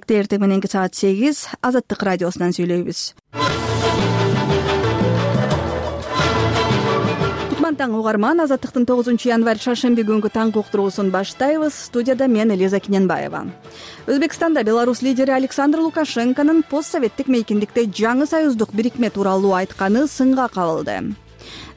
Эртең мененки саат 8 Азаттык радиосунан сүйлөйбүз. Таң угарман, Азаттыктын 9 январь шаршемби күнгү таңкы уктуруусун баштайбыз. Студияда мен Элиза Киненбаева. Өзбекстанда Беларусь лидери Александр Лукашенконун постсоветтик мейкиндикте жаңы союздук бирикме тууралуу айтканы сынга кабылды.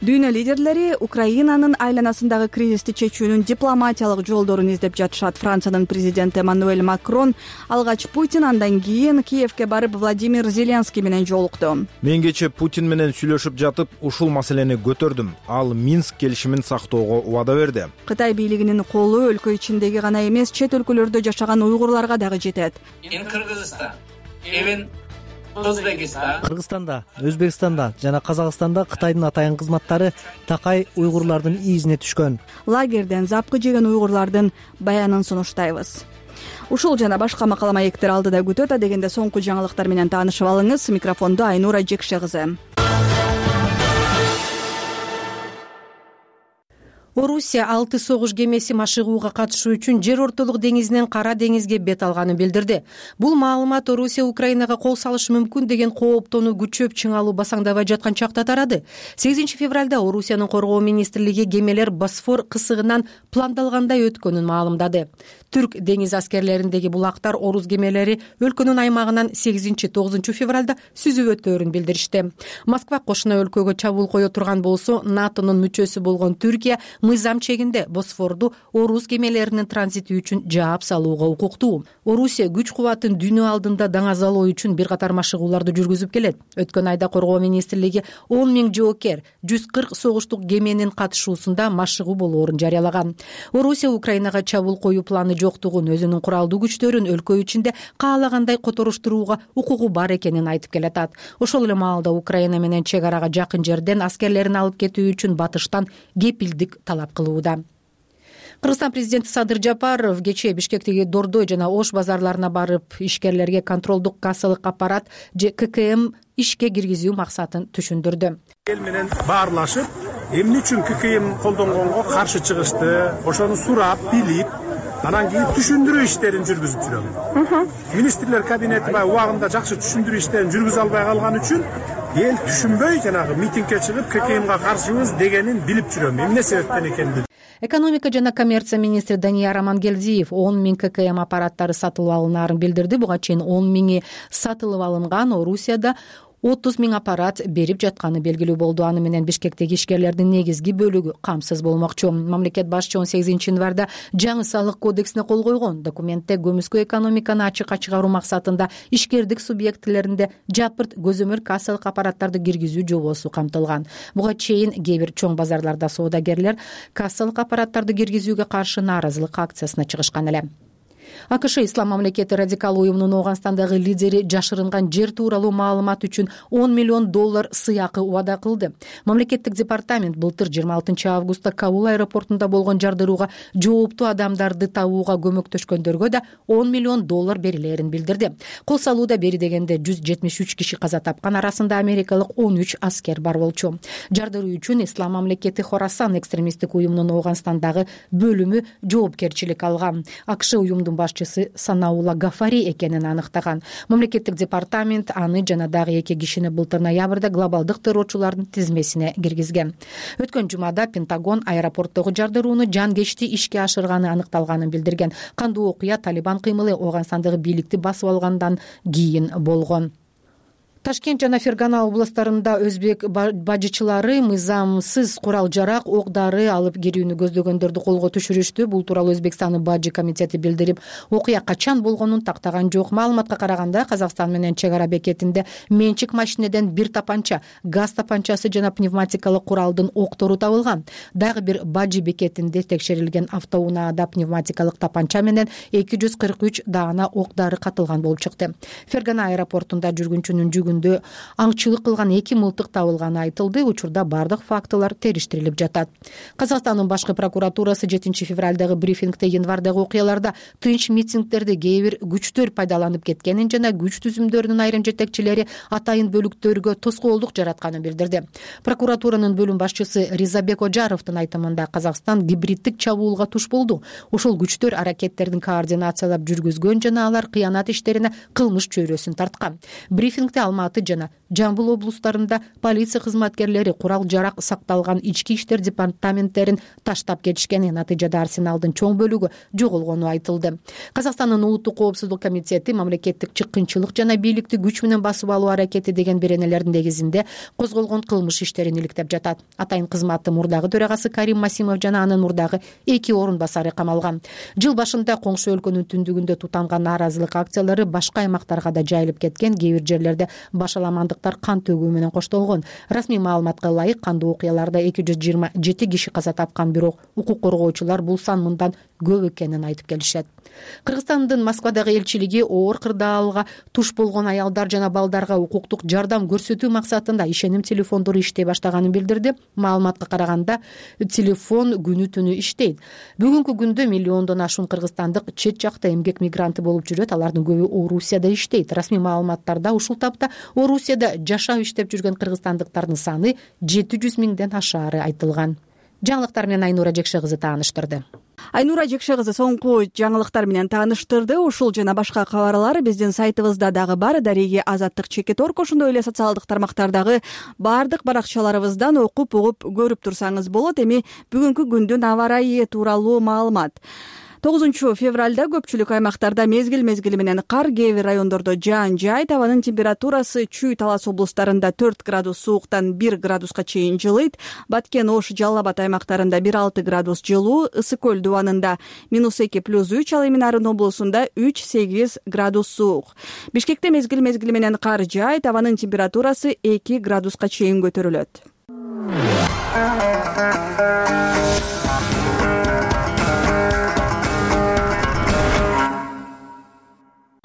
Дүйнө лидерлери Украинанын айланасындагы кризисти чечүүнүн дипломатиялык жолдорун издеп жатышат. Франциянын президенти Эммануэль Макрон алгач Путин, андан кийин Киевке барып Владимир Зеленский менен жолукту. Мен кечээ Путин менен сүйлөшүп жатып, ушул маселени көтөрдүм. Ал Минск келишимин сактоого убада берди. Кытай бийлигинин колу өлкө ичиндеги гана эмес, чет өлкөлөрдө жашаган уйгурларга дагы жетет. Кыргызстанда, Өзбекстанда жана Казакстанда Кытайдын атайын кызматтары такай уйгурлардын изине түшкөн. Лагерден запкы жеген уйгурлардын баянын сунуштайбыз. Ушул жана башка макала маектер алдыда күтөт. Дегенде соңку жаңылыктар менен таанышып алыңыз. Микрофондо Айнура Жекше кызы. Орусия 6 согуш кемеси машыгууга катышуу үчүн жер ортолук деңизинен Кара деңизге бет алганын билдирди. Бул маалымат Орусия Украинага кол салышы мүмкүн деген кооптонуу күчөп чыңалуу басаңдабай жаткан чакта тарады. 8 февралда Орусиянын коргоо министрлиги кемелер Босфор кысыгынан пландалгандай өткөнүн маалымдады. Түрк деңиз аскерлериндеги булактар орус кемелери өлкөнүн аймагынан 8-9 февралда сүзүп өтөөрүн билдиришти. Москва кошуна өлкөгө чабуул кое турган болсо, НАТОнун мүчөсү болгон Түркия мыйзам чегинде Босфорду орус кемелеринин транзити үчүн жаап салууга укуктуу. Орусия күч кубатын дүйнө алдында даңазалоо үчүн бир катар машыгууларды жүргүзүп келет. Өткөн айда коргоо министрлиги 10 000 жоокер 140 согуштук кеменин катышуусунда машыгуу болоорун жарыялаган. Орусия Украинага чабуул коюу планы жоктугун, өзүнүн куралдуу күчтөрүн өлкө ичинде каалагандай которуштурууга укугу бар экенин айтып келатат. Ошол эле маалда Украина менен чек арага жакын жерден аскерлерин алып кетүү үчүн батыштан кепилдик талап кылууда. Кыргызстан президенти Садыр Жапаров кечээ Бишкектеги Дордой жана Ош базарларына барып, ишкерлерге контролдук кассалык аппарат же ККМ ишке киргизүү максатын түшүндүрдү. Эл менен баарлашып, эмне үчүн ККМ колдонгонго каршы чыгышты, ошону сурап, билип, анан кийин түшүндүрүү иштерин жүргүзүп жүрөм. Министрлер кабинети убагында жакшы түшүндүрүү иштерин жүргүзө албай калган үчүн эл түшүнбөй жанагы митингге чыгып ККМга каршыбыз дегенин билип жүрөм. Эмне себептен экенин. Экономика жана коммерция министри Данияр Амангелдиев 10 000 ККМ аппараттары сатылып алынаарын билдирди. Буга чейин 10 000 сатылып алынган. Орусияда 30 000 аппарат берип жатканы белгилүү болду. Аны менен Бишкектеги ишкерлердин негизги бөлүгү камсыз болмокчу. Мамлекет башчы 18 январда жаңы салык кодексине кол койгон. Документте көмүскө экономиканы ачыкка чыгаруу максатында ишкердик субъектилеринде жапырт көзөмөл кассалык аппараттарды киргизүү жобосу камтылган. Буга чейин кээ бир чоң базарларда соодагерлер кассалык аппараттарды киргизүүгө каршы нааразылык акциясына чыгышкан эле. АКШ Ислам мамлекети радикал уюмунун Ооганстандагы лидери жашырынган жер тууралуу маалымат үчүн $10 миллион сыйакы убада кылды. Мамлекеттик департамент былтыр 26 августта Кабул аэропортунда болгон жардырууга жооптуу адамдарды табууга көмөктөшкөндөргө да $10 миллион берилерин билдирди. Кол салууда бери дегенде 173 киши каза тапкан, арасында америкалык 13 аскер бар болчу. Жардыруу үчүн Ислам мамлекети Хорасан экстремисттик уюмунун Ооганстандагы бөлүмү жоопкерчилик алган. АКШ уюмдун башчысы Санаула Гафари экенин аныктаган. Мамлекеттик департамент аны жана дагы 2 кишини былтыр ноябрда глобалдык террорчулардын тизмесине киргизген. Өткөн жумада Пентагон аэропорттогу жардырууну жанкечти ишке ашырганы аныкталганын билдирген. Кандуу окуя Талибан кыймылы Ооганстандагы бийликти басып алгандан кийин болгон. Ташкент жана Фергана областарында өзбек бажычылары мыйзамсыз курал-жарак, ок-дары алып кирүүнү көздөгөндөрдү колго түшүрүштү. Бул тууралуу Өзбекстандын бажы комитети билдирип, окуя качан болгонун тактаган жок. Маалыматка караганда, Казакстан менен чек ара бекетинде менчик машинеден бир тапанча, газ тапанчасы жана пневматикалык куралдын октору табылган. Дагы бир бажы бекетинде текшерилген автоунаада пневматикалык тапанча менен 243 даана ок-дары катылган болуп чыкты. Фергана аэропортунда жүргүнчүнүн бөлүгүндө аңчылык кылган 2 мылтык табылганы айтылды. Учурда бардык фактылар териштирилип жатат. Казакстандын башкы прокуратурасы 7 февралдагы брифингде январдагы окуяларда тынч митингдерди кээ бир күчтөр пайдаланып кеткенин жана күч түзүмдөрүнүн айрым жетекчилери атайын бөлүктөргө тоскоолдук жаратканын билдирди. Прокуратуранын бөлүм башчысы Ризабек Ожаровдун айтымында Казакстан гибриддик чабуулга туш болду. Ушул күчтөр аракеттердин координациялап жүргүзгөн жана алар кыянат иштерине кылмыш чөйрөсүн тарткан. Брифингде Алматы жана Жамбыл облустарында полиция кызматкерлери курал-жарак сакталган ички иштер департаменттерин таштап кетишкени, натыйжада арсеналдын чоң бөлүгү жоголгону айтылды. Казакстандын улуттук коопсуздук комитети мамлекеттик чыккынчылык жана бийликти күч менен басып алуу аракети деген беренелердин негизинде козголгон кылмыш иштерин иликтеп жатат. Атайын кызматтын мурдагы төрагасы Карим Масимов жана анын мурдагы 2 орун басары камалган. Жыл башында коңшу өлкөнүн түндүгүндө тутанган нааразылык акциялары башка аймактарга да жайылып кеткен. Кээ бир жерлерде башаламандыктар кан төгүү менен коштолгон. Расмий маалыматка ылайык кандуу окуяларда 227 киши каза тапкан, бирок укук коргоочулар бул сан мындан көп экенин айтып келишет. Кыргызстандын Москвадагы элчилиги оор кырдаалга туш болгон аялдар жана балдарга укуктук жардам көрсөтүү максатында ишеним телефондору иштей баштаганын билдирди. Маалыматка караганда, телефон күнү түнү иштейт. Бүгүнкү күндө миллиондон ашуун кыргызстандык чет жакта эмгек мигранты болуп жүрөт. Алардын көбү Орусияда иштейт. Расмий маалыматтарда ушул тапта Орусияда жашап иштеп жүргөн кыргызстандыктардын саны 700 миңден ашаары айтылган. Жаңылыктар менен Айнура Жекше кызы тааныштырды. Айнура Жекше кызы соңку жаңылыктар менен тааныштырды. Ушул жана башка кабарлар биздин сайтыбызда дагы бар. Дареги Азаттык Чекит.org, ошондой эле социалдык тармактардагы бардык баракчаларыбыздан окуп угуп көрүп турсаңыз болот. Эми бүгүнкү күндүн аба ырайы тууралуу маалымат. 9 февралда көпчүлүк аймактарда мезгил менен кар, кээ бир райондордо жаан жайт. Абанын температурасы Чүй, Талас облустарында 4 градус сууктан 1 градуска чейин жылыйт. Баткен, Ош, Жалал Абад аймактарында 1-6 градус жылуу, Ысык көл дубанында -2 + 3, ал эми Нарын облусунда 3-8 градус суук. Бишкекте мезгил менен кар жайт. Абанын температурасы 2 градуска чейин көтөрүлөт.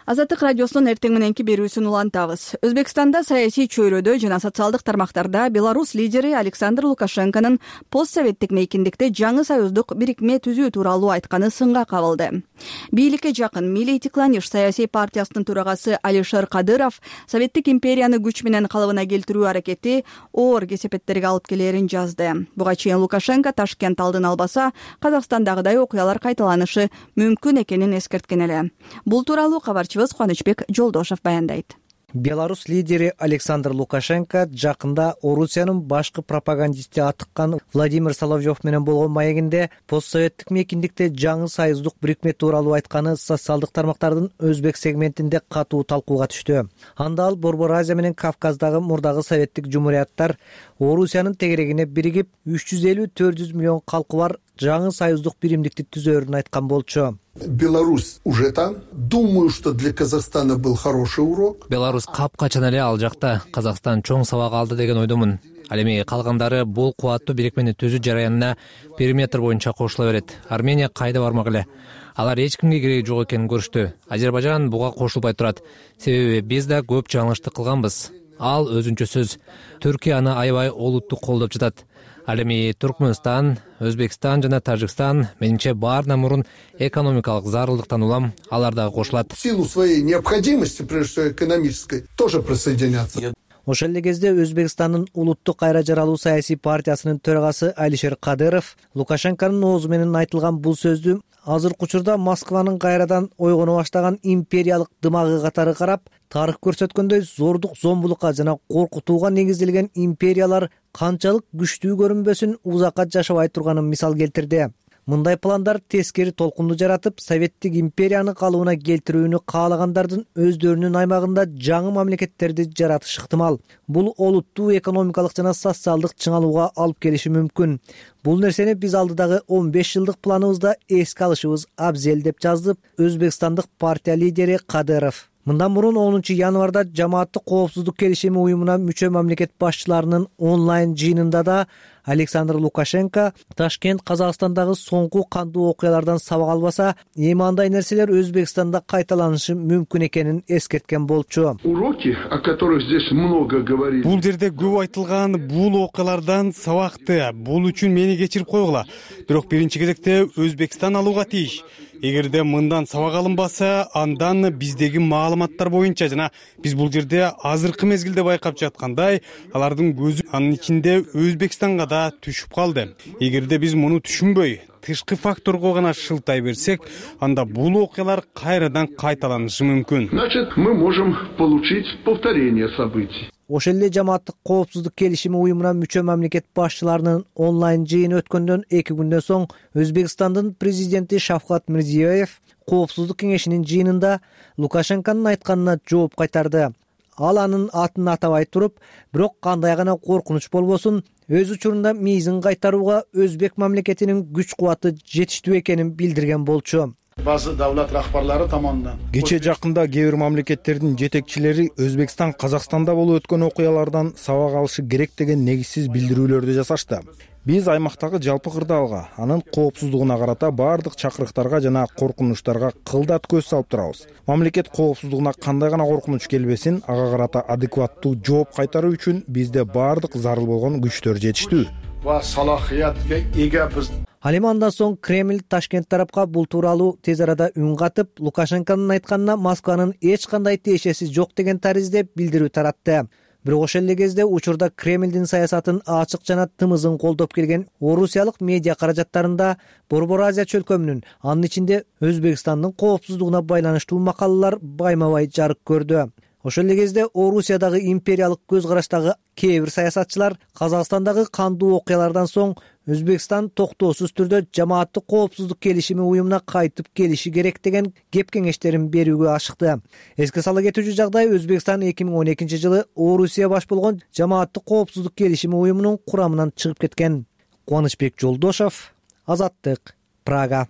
Азаттык радиосунун эртең мененки берүүсүн улантабыз. Өзбекстанда саясий чөйрөдө жана социалдык тармактарда Беларусь лидери Александр Лукашенконун постсоветтик мейкиндикте жаңы союздук бирикме түзүү тууралуу айтканы сынга кабылды. Бийликке жакын Милли Тикланиш саясий партиясынын төрагасы Алишер Кадыров Советтик империяны күч менен калыбына келтирүү аракети оор кесепеттерге алып келерин жазды. Буга чейин Лукашенко Ташкент алдын албаса, Казакстандагыдай окуялар кайталанышы мүмкүн экенин эскерткен эле. Бул тууралуу кабарчыбыз Кубанычбек Жолдошов баяндайт. Беларусь лидери Александр Лукашенко жакында Орусиянын башкы пропагандисти атыккан Владимир Соловьев менен болгон маегинде постсоветтик мейкиндикте жаңы союздук бирикме тууралуу айтканы социалдык тармактардын өзбек сегментинде катуу талкууга түштү. Анда ал Борбор Азия менен Кавказдагы мурдагы советтик жумурияттар Орусиянын тегерегине биригип 350-400 миллион калкы бар жаңы союздук биримдикти түзөрүн айткан болчу. Беларусь уже там. Думаю, что для Казахстана был хороший урок. Беларусь капкачан эле ал жакта. Казакстан чоң сабак алды деген ойдомун. Ал эми калгандары бул кубаттуу бирикмени түзүү жараянына периметр боюнча кошула берет. Армения кайда бармак эле. Алар эч кимге кереги жок экенин көрүштү. Азербайжан буга кошулбай турат. Себеби биз да көп жаңылыштык кылганбыз. Ал өзүнчө сөз. Түркия аны аябай олуттуу колдоп жатат. Ал эми Туркмөнстан, Өзбекстан жана Тажикстан менимче баарынан мурун экономикалык зарылдыктан улам алар дагы кошулат. В силу своей необходимости, прежде всего экономической, тоже присоединятся. Ошол эле кезде Өзбекстандын улуттук кайра жаралуу саясий партиясынын төрагасы Алишер Кадыров Лукашенконун оозу менен айтылган бул сөздү азыркы учурда Москванын кайрадан ойгоно баштаган империялык дымагы катары карап, тарых көрсөткөндөй зордук, зомбулукка жана коркутууга негизделген империялар канчалык күчтүү көрүнбөсүн узакка жашабай турганын мисал келтирди. Мындай пландар тескери толкунду жаратып, Советтик империяны калыбына келтирүүнү каалагандардын өздөрүнүн аймагында жаңы мамлекеттерди жаратышы ыктымал. Бул олуттуу экономикалык жана социалдык чыңалууга алып келиши мүмкүн. Бул нерсени биз алдыдагы 15 жылдык планыбызда эске алышыбыз абзел, деп жазды Өзбекстандык партия лидери Кадыров. Мындан мурун 10 январда жамааттык коопсуздук келишими уюмуна мүчө мамлекет башчыларынын онлайн жыйынында да Александр Лукашенко Ташкент Казакстандагы соңку кандуу окуялардан сабак албаса, эми андай нерселер Өзбекстанда кайталанышы мүмкүн экенин эскерткен болчу. Уроки, о которых здесь много говорили. Бул жерде көп айтылган бул окуялардан сабакты. Бул үчүн мени кечирип койгула. Бирок биринчи кезекте Өзбекстан алууга тийиш. Эгерде мындан сабак алынбаса, андан биздеги маалыматтар боюнча жана биз бул жерде азыркы мезгилде байкап жаткандай, алардын көзү анын ичинде Өзбекстанга да түшүп калды. Эгерде биз муну түшүнбөй, тышкы факторго гана шылтай берсек, анда бул окуялар кайрадан кайталанышы мүмкүн. Значит, мы можем получить повторение событий. Ошол эле жамааттык коопсуздук келишими уюмуна мүчө мамлекет башчыларынын онлайн жыйыны өткөндөн 2 күндөн соң Өзбекстандын президенти Шавкат Мирзиёев коопсуздук кеңешинин жыйынында Лукашенконун айтканына жооп кайтарды. Ал анын атын атабай туруп, бирок кандай гана коркунуч болбосун, өз учурунда мейизин кайтарууга Өзбек мамлекетинин күч-кубаты жетиштүү экенин билдирген болчу. Базы давлат рахбарлары tomonidan Кече жакында кээ бир мамлекеттердин жетекчилери Өзбекстан Казакстанда болуп өткөн окуялардан сабак алышы керек деген негизсиз билдирүүлөрдү жасашты. Биз аймактагы жалпы кырдаалга, анын коопсуздугуна карата баардык чакырыктарга жана коркунучтарга кылдат көз салып турабыз. Мамлекет коопсуздугуна кандай гана коркунуч келбесин, ага карата адекваттуу жооп кайтаруу үчүн бизде баардык зарыл болгон күчтөр жетиштүү. va salohiyatga ega biz. Ал эми андан соң Кремль Ташкент тарапка бул тууралуу тез арада үн катып, Лукашенконун айтканына Москванын эч кандай тиешеси жок деген таризде билдирүү таратты. Бирок ошол эле кезде учурда Кремлдин саясатын ачык жана тымызын колдоп келген орусиялык медиа каражаттарында Борбор Азия чөлкөмүнүн, анын ичинде Өзбекстандын коопсуздугуна байланыштуу макалалар байма-бай жарык көрдү. Ошол эле кезде Орусиядагы империялык көз караштагы кээ бир саясатчылар Казакстандагы кандуу окуялардан соң Өзбекстан токтоосуз түрдө жамааттык коопсуздук келишими уюмуна кайтып келиши керек деген кеп кеңештерин берүүгө ашыкты. Эске сала кетүүчү жагдай, Өзбекстан 2012 жылы Орусия баш болгон жамааттык коопсуздук келишими уюмунун курамынан чыгып кеткен. Кубанычбек Жолдошов, Азаттык, Прага.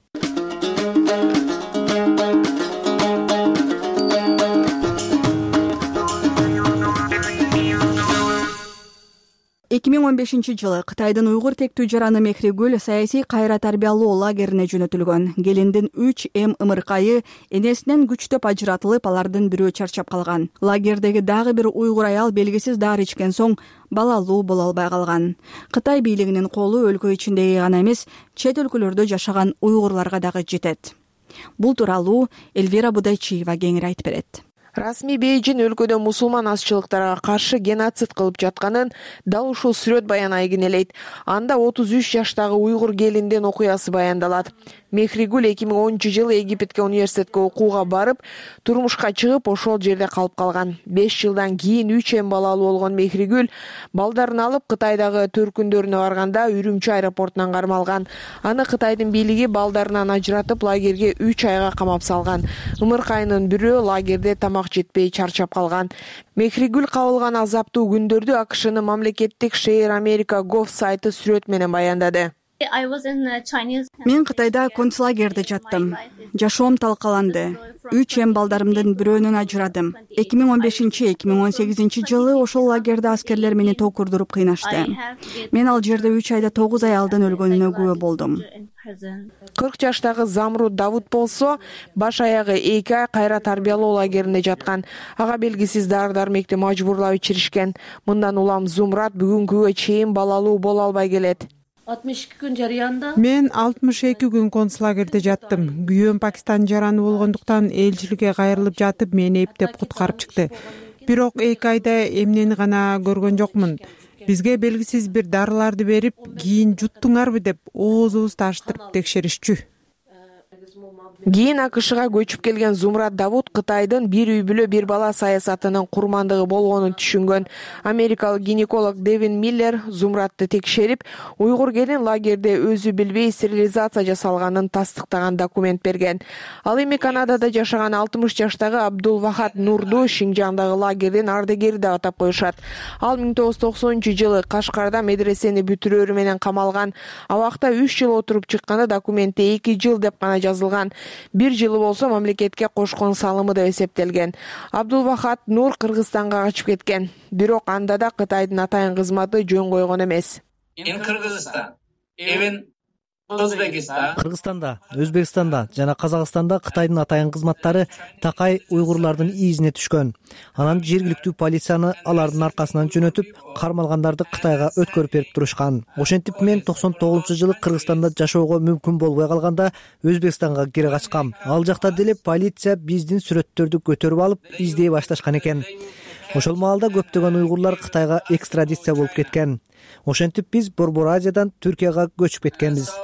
2015 жылы Кытайдын уйгур тектүү жараны Мехригүл саясий кайра тарбиялоо лагерине жөнөтүлгөн. Келиндин 3 ымыркайы энесинен күчтөп ажыратылып, алардын бирөө чарчап калган. Лагердеги дагы бир уйгур аял белгисиз дары ичкен соң балалуу боло албай калган. Кытай бийлигинин колу өлкө ичиндеги гана эмес, чет өлкөлөрдө жашаган уйгурларга дагы жетет. Бул тууралуу Эльвира Будайчиева кеңири айтып берет. Расмий Бейжин өлкөдө мусулман азчылыктарга каршы геноцид кылып жатканын дал ушул сүрөт баянай кинелейт. Анда 33 жаштагы уйгур келиндин окуясы баяндалат. Мехригүл 2010 жылы Египетке университетке окууга барып, турмушка чыгып, ошол жерде калып калган. 5 жылдан кийин 3 балалуу болгон Мехригүл балдарын алып Кытайдагы төркүндөрүнө барганда Үрүмчү аэропортунан кармалган. Аны Кытайдын бийлиги балдарынан ажыратып лагерге 3 айга камап салган. Ымыркайынын бирөө лагерде тамак жетпей чарчап калган. Мехригүл кабылган азаптуу күндөрдү АКШнын мамлекеттик Share America Gov сайты сүрөт менен баяндады. Мен Кытайда концлагерде жаттым. Жашоом талкаланды. 3 балдарымдын бирөөнөн ажырадым. 2015-2018 жылы ошол лагерде аскерлер мени токурдуруп кыйнашты. Мен ал жерде 3 айда 9 аялдын өлгөнүнө күбө болдум. 40 жаштагы Замруд Давуд болсо, баш аягы 2 ай кайра тарбиялоо лагерине жаткан. Ага белгисиз дары-дармекти мажбурлап ичиришкен. Мындан улам Зумрат бүгүнкүгө чейин балалуу боло албай келет. 62 күн жарыянда. Мен 62 күн концлагерде жаттым. Күйөөм Пакистан жараны болгондуктан элчиликке кайрылып жатып, мени эптеп куткарып чыкты. Бирок 2 айда эмнени гана көргөн жокмун. Бизге белгисиз бир дарыларды берип, кийин жуттуңарбы деп оозубузду ачтырып текшеришчү. Кийин АКШга көчүп келген Зумрат Давуд Кытайдын бир үй бүлө бир бала саясатынын курмандыгы болгонун түшүнгөн. Америкалык гинеколог Девин Миллер Зумратты текшерип, уйгур келин лагерде өзү билбей стерилизация жасалганын тастыктаган документ берген. Ал эми Канадада жашаган 60 жаштагы Абдул Вахат Нурду Шинжаңдагы лагердин ардегери деп атап коюшат. Ал 1990 жылы Кашкарда медресени бүтүрөөрү менен камалган. Абакта 3 жыл отуруп чыкканы документте 2 жыл деп гана жазылган. бир жылы болсо мамлекетке кошкон салымы деп эсептелген. Абдулвахат Нур Кыргызстанга качып кеткен. Бирок анда да Кытайдын атайын кызматы жөн койгон эмес. Кыргызстанда, Өзбекстанда жана Казакстанда Кытайдын атайын кызматтары такай уйгурлардын изине түшкөн. Анан жергиликтүү полицияны алардын аркасынан жөнөтүп, кармалгандарды Кытайга өткөрүп берип турушкан. Ошентип мен 99-жылы Кыргызстанда жашоого мүмкүн болбой калганда Өзбекстанга кире качкам. Ал жакта деле полиция биздин сүрөттөрдү көтөрүп алып, издей башташкан экен. Ошол маалда көптөгөн уйгурлар Кытайга экстрадиция болуп кеткен. Ошентип биз Борбор Азиядан Түркияга көчүп кеткенбиз.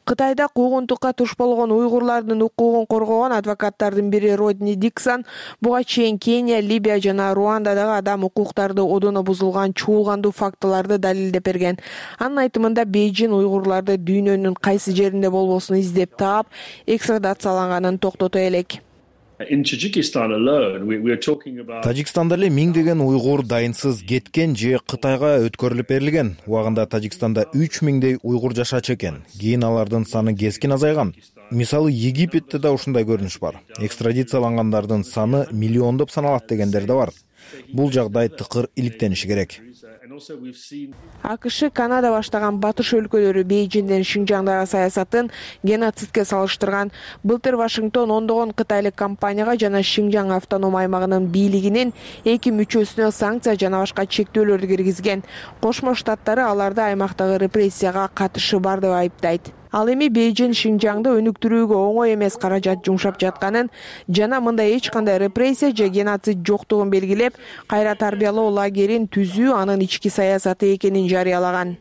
Кытайда куугунтукка туш болгон уйгурлардын укугун коргогон адвокаттардын бири Родни Диксон буга чейин Кения, Либия жана Руандадагы адам укуктарды одоно бузулган чуулгандуу фактыларды далилдеп берген. Анын айтымында Бейжин уйгурларды дүйнөнүн кайсы жеринде болбосун издеп таап, экстрадацияланганын токтото элек. Тажикстанда эле миңдеген уйгур дайынсыз кеткен же Кытайга өткөрүлүп берилген. Убагында Тажикстанда 3000дей уйгур жашачу экен. Кийин алардын саны кескин азайган. Мисалы Египетте да ушундай көрүнүш бар. Экстрадициялангандардын саны миллиондоп саналат дегендер да бар. Бул жагдай тыкыр иликтениши керек. АКШ, Канада баштаган батыш өлкөлөрү Бейжиндин Шинжаңдагы саясатын геноцидке салыштырган. Былтыр Вашингтон ондогон кытайлык компанияга жана Шинжаң автоном аймагынын бийлигинин 2 мүчөсүнө санкция жана башка чектөөлөрдү киргизген. Кошмо Штаттары аларды аймактагы репрессияга катышы бар деп айыптайт. Ал эми Бейжин Шинжаңды өнүктүрүүгө оңой эмес каражат жумшап жатканын жана мындай эч кандай репрессия же геноцид жоктугун белгилеп, кайра тарбиялоо лагерин түзүү анын ички саясаты экенин жарыялаган.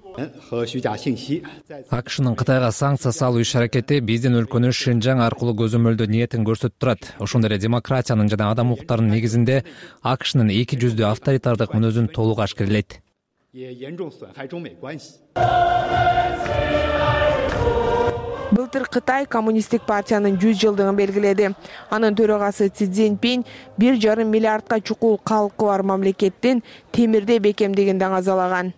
АКШнын Кытайга санкция салуу иш-аракети биздин өлкөнү Шинжаң аркылуу көзөмөлдөө ниетин көрсөтүп турат. Ошондой эле демократиянын жана адам укуктарынын негизинде АКШнын эки жүздүү авторитардык мүнөзүн толук ашкерелейт. Былтыр Кытай коммунисттик партиянын 100 жылдыгын белгиледи. Анын төрагасы Си Цзиньпин 1,5 миллиардка чукул калкы бар мамлекеттин темирдей бекемдигин даңазалаган.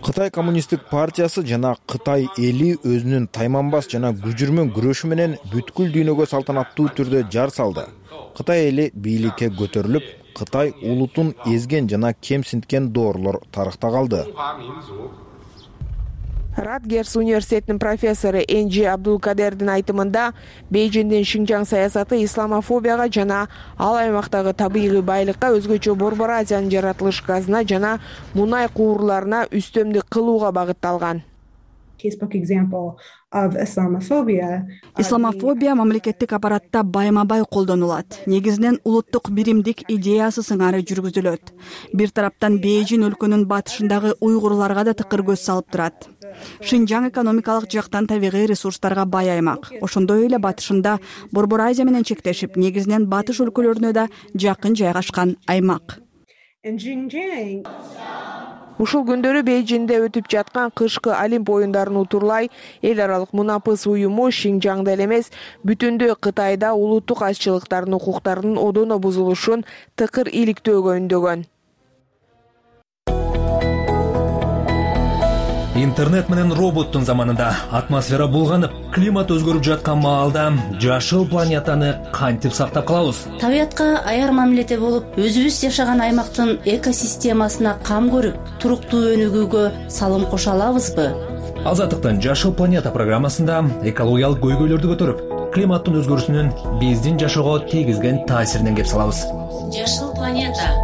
Кытай коммунисттик партиясы жана Кытай эли өзүнүн тайманбас жана күжүрмөн күрөшү менен бүткүл дүйнөгө салтанаттуу түрдө жар салды. Кытай эли бийликке көтөрүлүп, Кытай улутун эзген жана кемсинткен доорлор тарыхта калды. Радгерс университетинин профессору Энджи Абдулкадердин айтымында Бейжиндин Шинжаң саясаты исламофобияга жана ал аймактагы табигый байлыкка, өзгөчө Борбор Азиянын жаратылыш газына жана мунай куурларына үстөмдүк кылууга багытталган. Исламофобия мамлекеттик аппаратта байма-бай колдонулат. Негизинен улуттук биримдик идеясы сыңары жүргүзүлөт. Бир тараптан Бейжин өлкөнүн батышындагы уйгурларга да тыкыр көз салып турат. Шинжаң экономикалык жактан табигый ресурстарга бай аймак. Ошондой эле батышында Борбор Азия менен чектешип, негизинен батыш өлкөлөрүнө да жакын жайгашкан аймак. Ушул күндөрү Бейжинде өтүп жаткан кышкы Олимп оюндарын утурлай эл аралык мунапыс уюму Шинжаңда эле эмес, бүтүндөй Кытайда улуттук азчылыктардын укуктарынын одоно бузулушун тыкыр иликтөөгө үндөгөн. Интернет менен роботтун заманында атмосфера булганып, климат өзгөрүп жаткан маалда жашыл планетаны кантип сактап калабыз? Табиятка аяр мамиледе болуп, өзүбүз жашаган аймактын экосистемасына кам көрүп, туруктуу өнүгүүгө салым кошо алабызбы? Азаттыктын Жашыл планета программасында экологиялык көйгөйлөрдү көтөрүп, климаттын өзгөрүүсүнүн биздин жашоого тийгизген таасиринен кеп салабыз. Жашыл планета.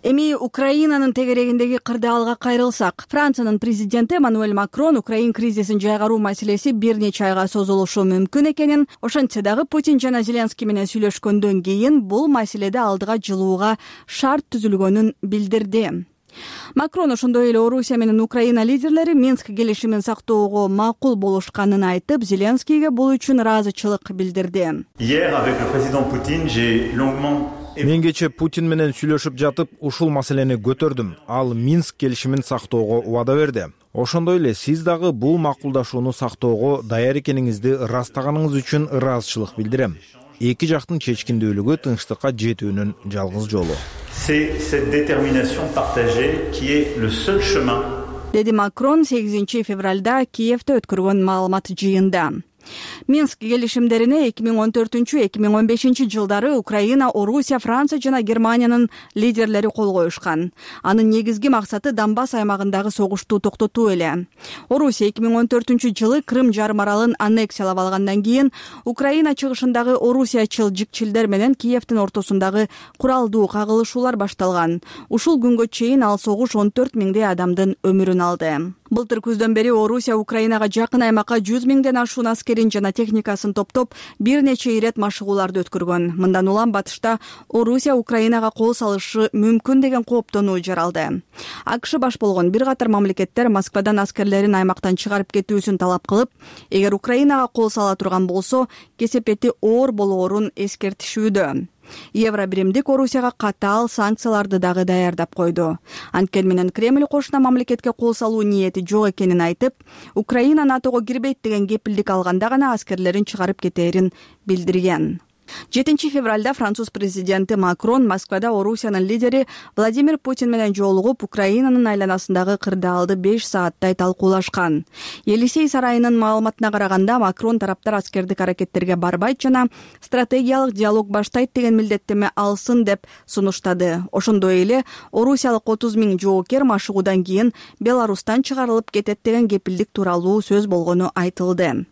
Эми Украинанын тегерегиндеги кырдаалга кайрылсак, Франциянын президенти Эммануэль Макрон Украин кризисин жайгаруу маселеси бир нече айга созулушу мүмкүн экенин, ошентсе дагы Путин жана Зеленский менен сүйлөшкөндөн кийин бул маселеде алдыга жылууга шарт түзүлгөнүн билдирди. Макрон ошондой эле Орусия менен Украина лидерлери Минск келишимин сактоого макул болушканын айтып, Зеленскийге бул үчүн ыраазычылык билдирди. Мен кечээ Путин менен сүйлөшүп жатып, ушул маселени көтөрдүм. Ал Минск келишимин сактоого убада берди. Ошондой эле сиз дагы бул макулдашууну сактоого даяр экениңизди ырастаганыңыз үчүн ыраазычылык билдирем. Эки жактын чечкиндүүлүгү тынчтыкка жетүүнүн жалгыз жолу. деди Макрон 8 февралда Киевде өткөргөн маалымат жыйында. Минск келишимдерине 2014-2015 жылдары Украина, Орусия, Франция жана Германиянын лидерлери кол коюшкан. Анын негизги максаты Донбасс аймагындагы согушту токтотуу эле. Орусия 2014 Крым жарым аралын аннексиялап алгандан кийин Украина чыгышындагы орусиячыл жикчилдер менен Киевдин ортосундагы куралдуу кагылышуулар башталган. Ушул күнгө чейин ал согуш 14 миңдей адамдын өмүрүн алды. Былтыр күздөн бери Орусия Украинага жакын аймакка 100 миңден ашуун аскерин жана техникасын топтоп бир нече ирет машыгууларды өткөргөн. Мындан улам батышта Орусия Украинага кол салышы мүмкүн деген кооптонуу жаралды. АКШ баш болгон бир катар мамлекеттер Москвадан аскерлерин аймактан чыгарып кетүүсүн талап кылып, эгер Украинага кол сала турган болсо, кесепети оор болоорун эскертишүүдө. Евробиримдик Орусияга катаал санкцияларды дагы даярдап койду. Анткени менен Кремль кошуна мамлекетке кол салуу ниети жок экенин айтып, Украина НАТОго кирбейт деген кепилдик алганда гана аскерлерин чыгарып кетээрин билдирген. 7 февралда француз президенти Макрон Москвада Орусиянын лидери Владимир Путин менен жолугуп, Украинанын айланасындагы кырдаалды 5 сааттай талкуулашкан. Елисей сарайынын маалыматына караганда, Макрон тараптар аскердик аракеттерге барбайт жана стратегиялык диалог баштайт деген милдеттеме алсын деп сунуштады. Ошондой эле орусиялык 30 миң жоокер машыгуудан кийин Беларустан чыгарылып кетет деген кепилдик тууралуу сөз болгону айтылды.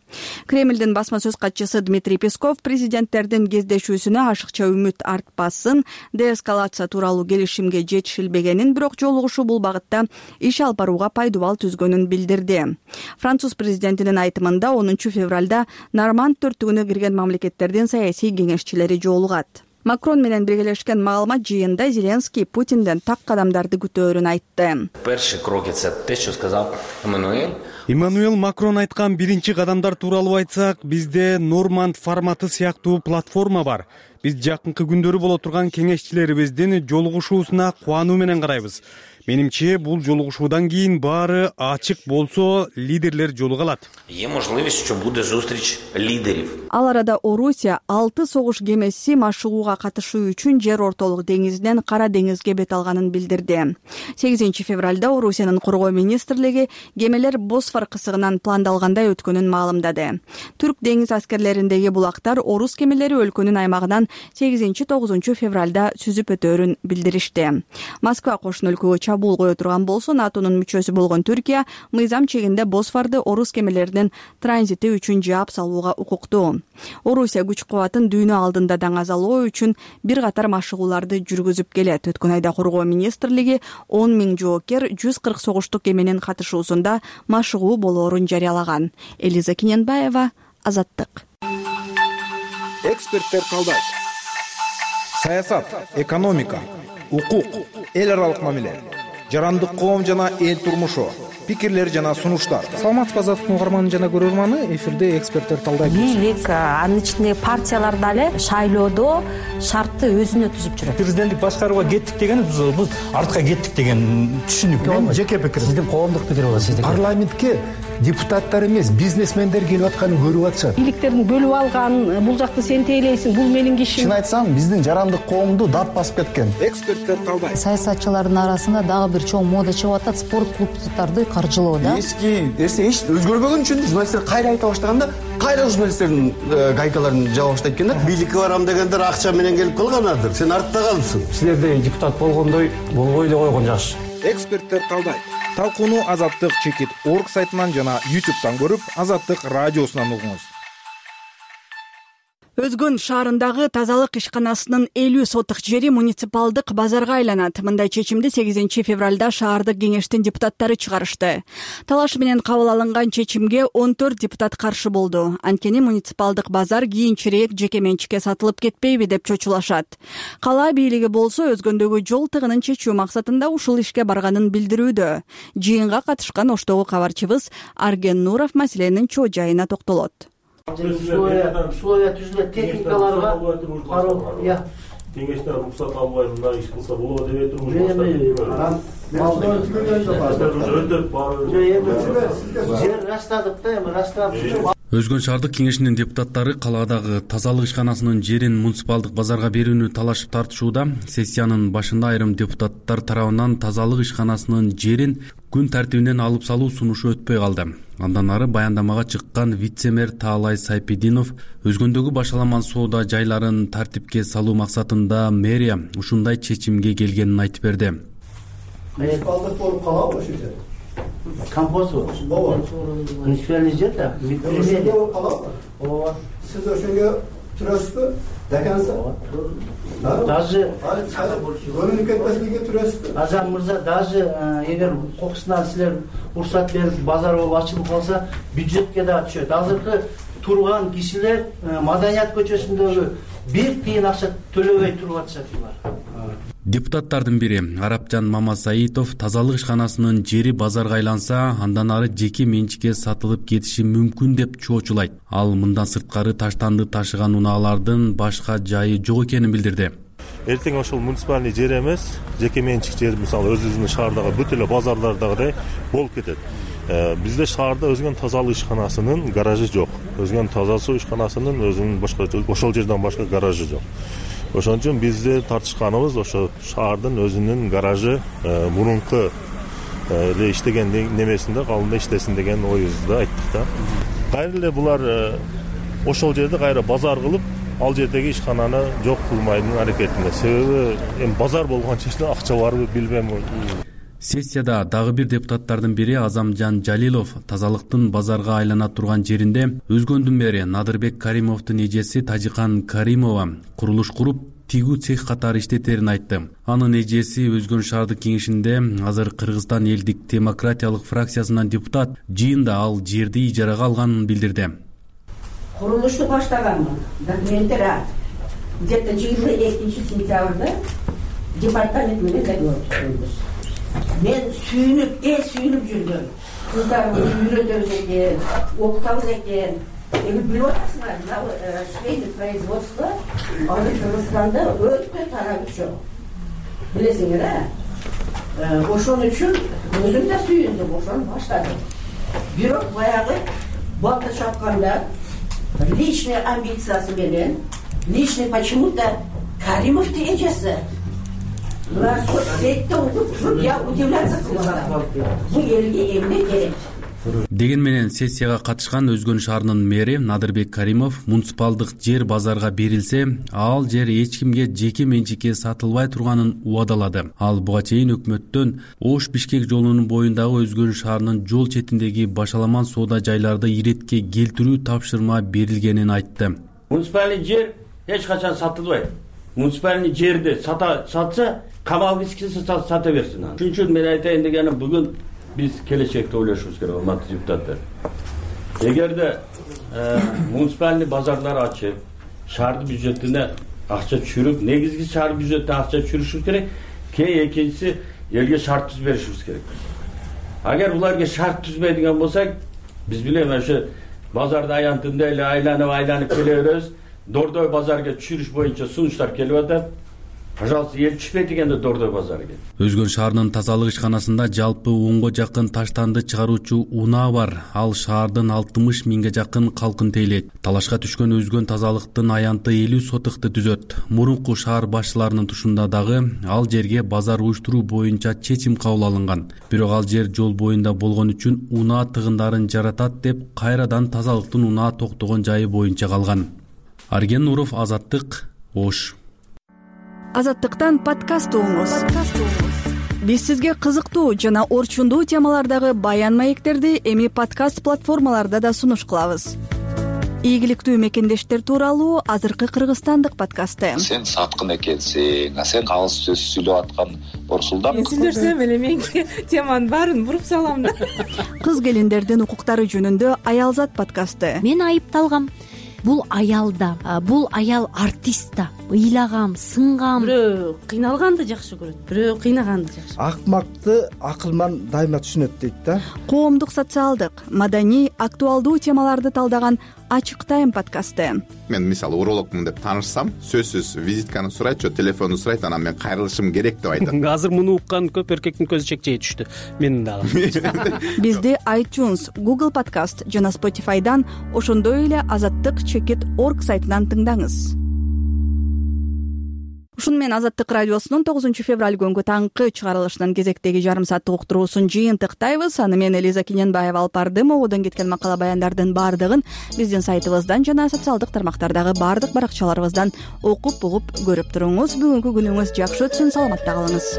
Кремлдин басма сөз катчысы Дмитрий Песков президенттердин кездешүүсүнө ашыкча үмүт артпасын, деэскалация тууралуу келишимге жетишилбегенин, бирок жолугушуу бул багытта иш алып барууга пайдубал түзгөнүн билдирди. Француз президентинин айтымында 10 февралда Норманд төрттүгүнө кирген мамлекеттердин саясий кеңешчилери жолугат. Макрон менен биргелешкен маалымат жыйында Зеленский Путинден так кадамдарды күтөөрүн айтты. Эммануэл Макрон айткан биринчи кадамдар тууралуу айтсак, бизде Норманд форматы сыяктуу платформа бар. Биз жакынкы күндөрү боло турган кеңешчилерибиздин жолугушуусуна кубануу менен карайбыз. Менимче, бул жолугушуудан кийин баары ачык болсо, лидерлер жолуга алат. Ал арада Орусия 6 согуш кемеси машыгууга катышуу үчүн жер ортолук деңизинен Кара деңизге бет алганын билдирди. 8 февралда Орусиянын коргоо министрлиги кемелер Босфор кысыгынан пландалгандай өткөнүн маалымдады. Түрк деңиз аскерлериндеги булактар орус кемелери өлкөнүн аймагынан 8-9 февралда сүзүп өтөөрүн билдиришти. Москва кошун өлкөгө чабуул кое турган болсо, НАТОнун мүчөсү болгон Түркия мыйзам чегинде Босфорду орус кемелеринин транзити үчүн жаап салууга укуктуу. Орусия күч кубатын дүйнө алдында даңазалоо үчүн бир катар машыгууларды жүргүзүп келет. Өткөн айда коргоо министрлиги 10 миң жоокер 140 согуштук кеменин катышуусунда машыгуу болоорун жарыялаган. Элиза Киненбаева, Азаттык. Эксперттер талдайт. Саясат, экономика, укук, эл аралык мамиле, жарандык коом жана эл турмушу, пикирлер жана сунуштар. Саламатсызбы, Азаттыктын угарманы жана көрөрманы, эфирде эксперттер талдайт. Бийлик, анын ичинде партиялар дагы шайлоодо шартты өзүнө түзүп жүрөт. Президенттик башкарууга кеттик деген биз артка кеттик деген түшүнүк. Мен жеке пикирим. Сиздин коомдук пикир болот, сиздики. Парламентке депутаттар эмес, бизнесмендер келип атканын көрүп атышат. Бийликтердин бөлүп алган, бул жакты сен тейлейсиң, бул менин кишим. Чын айтсам, биздин жарандык коомду дат басып кеткен. Эксперттер талдайт. Саясатчылардын арасында дагы бир чоң мода чыгып атат, спорт клубдарды каржылоо да. Эски нерсе эч өзгөрбөгөн үчүн журналисттер кайра айта баштаганда, кайра журналисттердин гайкаларын жаба баштайт экен да. Бийликке барам дегендер акча менен келип калганадыр. Сен артта калдың. Силерде депутат болгондой болбой эле койгон жакшы. Эксперттер талдайт. Талкууну Азаттык.org сайтынан жана YouTube'дан көрүп, Азаттык радиосунан угуңуз. Өзгөн шаарындагы тазалык ишканасынын 50 сотук жери муниципалдык базарга айланат. Мындай чечимди 8 февралда шаардык кеңештин депутаттары чыгарышты. Талаш менен кабыл алынган чечимге 14 депутат каршы болду. Анткени муниципалдык базар кийинчерээк жеке менчикке сатылып кетпейби деп чочулашат. Кала бийлиги болсо өзгөндөгү жол тыгынын чечүү максатында ушул ишке барганын билдирүүдө. Жыйынга катышкан Оштогу кабарчыбыз Арген Нуров маселенин чоо жайына токтолот. Условия түзүлөт, техникаларга кароо, кеңештер уруксат албай мындай иш кылса болот деп жер раштадык да, эми раштадык. Өзгөн шаардык кеңешинин депутаттары калаадагы тазалык ишканасынын жерин муниципалдык базарга берүүнү талашып тартышууда. Сессиянын башында айрым депутаттар тарабынан тазалык ишканасынын жерин күн тартибинен алып салуу сунушу өтпөй калды. Андан ары баяндамага чыккан вице-мэр Таалай Сайпидинов өзгөндөгү башаламан соода жайларын тартипке салуу максатында мэрия ушундай чечимге келгенин айтып берди. Муниципалдык болуп калабы ошол жерде? Компост ооба. Муниципальный жер да. Ошондо болуп калабы? Ооба. Сиз ошого турасызбы? Деканса? Даже көрүнүп кетпеслиге турасызбы? Азам мырза, даже эгер кокусунан силер уруксат берип базар болуп ачылып калса, бюджетке дагы түшөт. Азыркы турган кишилер Маданият көчөсүндөгү бир тыйын акча төлөбөй туруп атышат булар. Депутаттардын бири Арапжан Мамасаитов тазалык ишканасынын жери базарга айланса, андан ары жеке менчикке сатылып кетиши мүмкүн деп чоочулайт. Ал мындан сырткары таштанды ташыган унаалардын башка жайы жок экенин билдирди. Эртең ошол муниципальный жер эмес, жеке менчик жер, мисалы өзүбүздүн шаардагы бүт эле базарлардагыдай болуп кетет. Бизде шаарда өзгөн тазалык ишканасынын гаражы жок. Өзгөн таза суу ишканасынын өзүнүн башка ошол жерден башка гаражы жок. Ошон үчүн бизде тартышканыбыз ошо шаардын өзүнүн гаражы мурунку эле иштеген немесинде калында иштесин деген оюбузду айттык да. Кайра эле булар ошол жерде кайра базар кылып, ал жердеги ишкананы жок кылмайдын аракетинде. Себеби эми базар болгон жерде акча барбы билбейм. Сессияда дагы бир депутаттардын бири Азамжан Жалилов тазалыктын базарга айлана турган жеринде өзгөндүн мэри Надырбек Каримовдун эжеси Тажикан Каримова курулуш куруп, тигүү цех катары иштетерин айтты. Анын эжеси Өзгөн шаардык кеңешинде азыр Кыргызстан элдик демократиялык фракциясынан депутат, жыйында ал жерди ижарага алганын билдирди. Курулушту баштаганмын. Документтер где-то 22-сентябрда департамент менен договор түздүбүз. Мен сүйүнүп жүрдүм. Кыздарымды үйрөтөбүз экен, окутабыз экен. Эми билип атасыңар, швейный производство Кыргызстанда өтө тарап чоң. Билесиңер, ошон үчүн өзүм да сүйүндүм, ошону баштадым. Бирок баягы балта чапканда личный амбициясы менен, личный почему-то Каримовдун эжеси. Я удивляться кылган. Бул элге эмне керек? Деген менен сессияга катышкан Өзгөн шаарынын мэри Надырбек Каримов муниципалдык жер базарга берилсе, ал жер эч кимге жеке менчикке сатылбай турганын убадалады. Ал буга чейин өкмөттөн Ош-Бишкек жолунун боюндагы Өзгөн шаарынын жол четиндеги башаламан соода жайларды иретке келтирүү тапшырма берилгенин айтты. Муниципальный жер эч качан сатылбайт. Муниципальный жерди сатса, камалгысы сата берсин. Ошон үчүн мен айтайын дегеним, бүгүн биз келечекте ойлошубуз керек, урматтуу депутаттар. Эгерде муниципальный базарлар ачып, шаардын бюджетине акча түшүрүп, негизги шаар бюджетине акча түшүрүшүбүз керек. Экинчиси элге шарт түзүп беришибиз керек. Агер буларга шарт түзбөйдүгөн болсак, биз билем ошо базарды аянтында эле айланып келе беребиз. Дордой базарга түшүрүш боюнча сунуштар келип атат. Пожалуйста, ел түшпөй дегенде Дордой базарга. Өзгөн шаарынын тазалык ишканасында жалпы 10го жакын таштанды чыгаруучу унаа бар. Ал шаардын 60 миңге жакын калкын тейлейт. Талашка түшкөн Өзгөн тазалыктын аянты 50 сотыкты түзөт. Мурунку шаар башчыларынын тушунда дагы ал жерге базар уюштуруу боюнча чечим кабыл алынган. Бирок ал жер жол боюнда болгон үчүн унаа тыгындарын жаратат деп кайрадан тазалыктын унаа токтогон жайы боюнча калган. Арген Нуров, Азаттык, Ош. Азаттыктан подкаст угуңуз. Биз сизге кызыктуу жана орчундуу темалардагы баян маектерди эми подкаст платформаларда да сунуш кылабыз. Ийгиликтүү мекендештер тууралуу азыркы кыргызстандык подкасты. Сен саткын экенсиң, сен калыс сөз сүйлөп аткан Борсулдан. Сүйлөсөм эле мен теманын баарын буруп салам да. Кыз келиндердин укуктары жөнүндө Аялзат подкасты. Мен айыпталгам. Бул аялда, бул аял артист да. Ыйлагам, сынгам. Бирөө кыйналганды жакшы көрөт, бирөө кыйнаганды жакшы. Акмакты акылман дайыма түшүнөт дейт да. Коомдук, социалдык, маданий, актуалдуу темаларды талдаган Ачык Тайм подкасты. Мен мисалы урологмун деп таанышсам, сөзсүз визитканы сурайт, телефонду сурайт, анан мен кайрылышым керек деп айтат. Азыр муну уккан көп эркектин көзү чекчейе түштү. Менин дагы. Бизди iTunes, Google Podcast жана Spotify'дан, ошондой эле Азаттык.org сайтынан тыңдаңыз. Ушуну менен Азаттык радиосунун 9 февраль күнгү таңкы чыгарылышынын кезектеги жарым сааттык уктуруусун жыйынтыктайбыз. Аны мен Элиза Киненбаева алып бардым. Ободон кеткен макала баяндардын баардыгын биздин сайтыбыздан жана социалдык тармактардагы баардык баракчаларыбыздан окуп угуп көрүп туруңуз. Бүгүнкү күнүңүз жакшы өтсүн, саламатта калыңыз.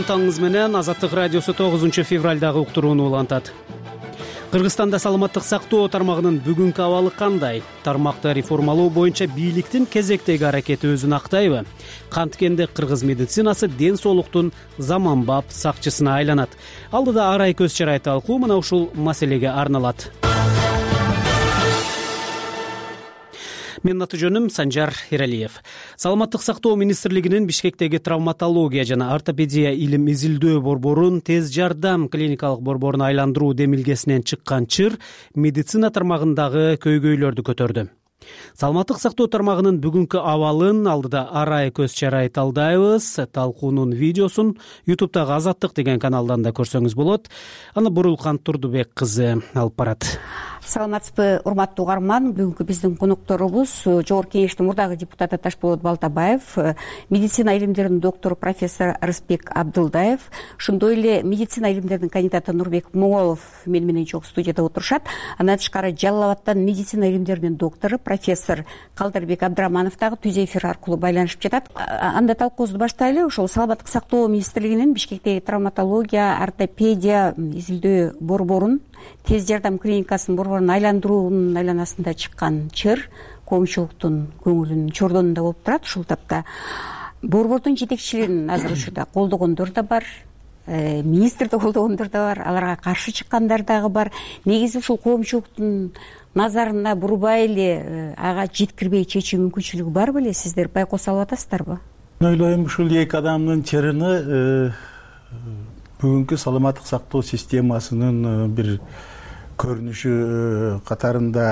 Таңыңыз менен Азаттык радиосу 9 февралдагы уктурууну улантат. Кыргызстанда саламаттык сактоо тармагынын бүгүнкү абалы кандай? Тармакты реформалоо боюнча бийликтин кезектеги аракети өзүн актайбы? Канткенде кыргыз медицинасы ден соолуктун заманбап сакчысына айланат. Алдыда арай көз чарай талкуу мына ушул маселеге арналат. Менин аты жөнүм Санжар Эралиев. Саламаттык сактоо министрлигинин Бишкектеги травматология жана ортопедия илим изилдөө борборун тез жардам клиникалык борборуна айландыруу демилгесинен чыккан чыр медицина тармагындагы көйгөйлөрдү көтөрдү. Саламаттык сактоо тармагынын бүгүнкү абалын алдыда арай көз чарай талдайбыз. Талкуунун видеосун YouTube'дагы Азаттык деген каналдан да көрсөңүз болот. Аны Бурулкан Турдубек кызы алып барат. Саламатсызбы, урматтуу угарман. Бүгүнкү биздин конокторубуз Жогорку Кеңештин мурдагы депутаты Ташболот Балтабаев, медицина илимдеринин доктору профессор Рыспек Абдылдаев, ошондой эле медицина илимдеринин кандидаты Нурбек Моголов мени менен чогуу студияда отурушат. Андан тышкары Жалал Абадтан медицина илимдеринин доктору профессор Калдарбек Абдыраманов дагы түз эфир аркылуу байланышып жатат. Анда талкуубузду баштайлы. Ошол саламаттык сактоо министрлигинин Бишкектеги травматология, ортопедия изилдөө борборун тез жардам клиникасынын борборун айландыруунун айланасында чыккан чыр коомчулуктун көңүлүнүн чордонунда болуп турат. Ушул тапта борбордун жетекчилерин азыр учурда колдогондор да бар, министрди колдогондор да бар, аларга каршы чыккандар дагы бар. Негизи ушул коомчулуктун назарына бурбай эле ага жеткирбей чечүү мүмкүнчүлүгү бар беле? Сиздер байкоос алып атасыздарбы? Мен ойлойм, ушул эки адамдын чырыны бүгүнкү саламаттык сактоо системасынын бир көрүнүшү катарында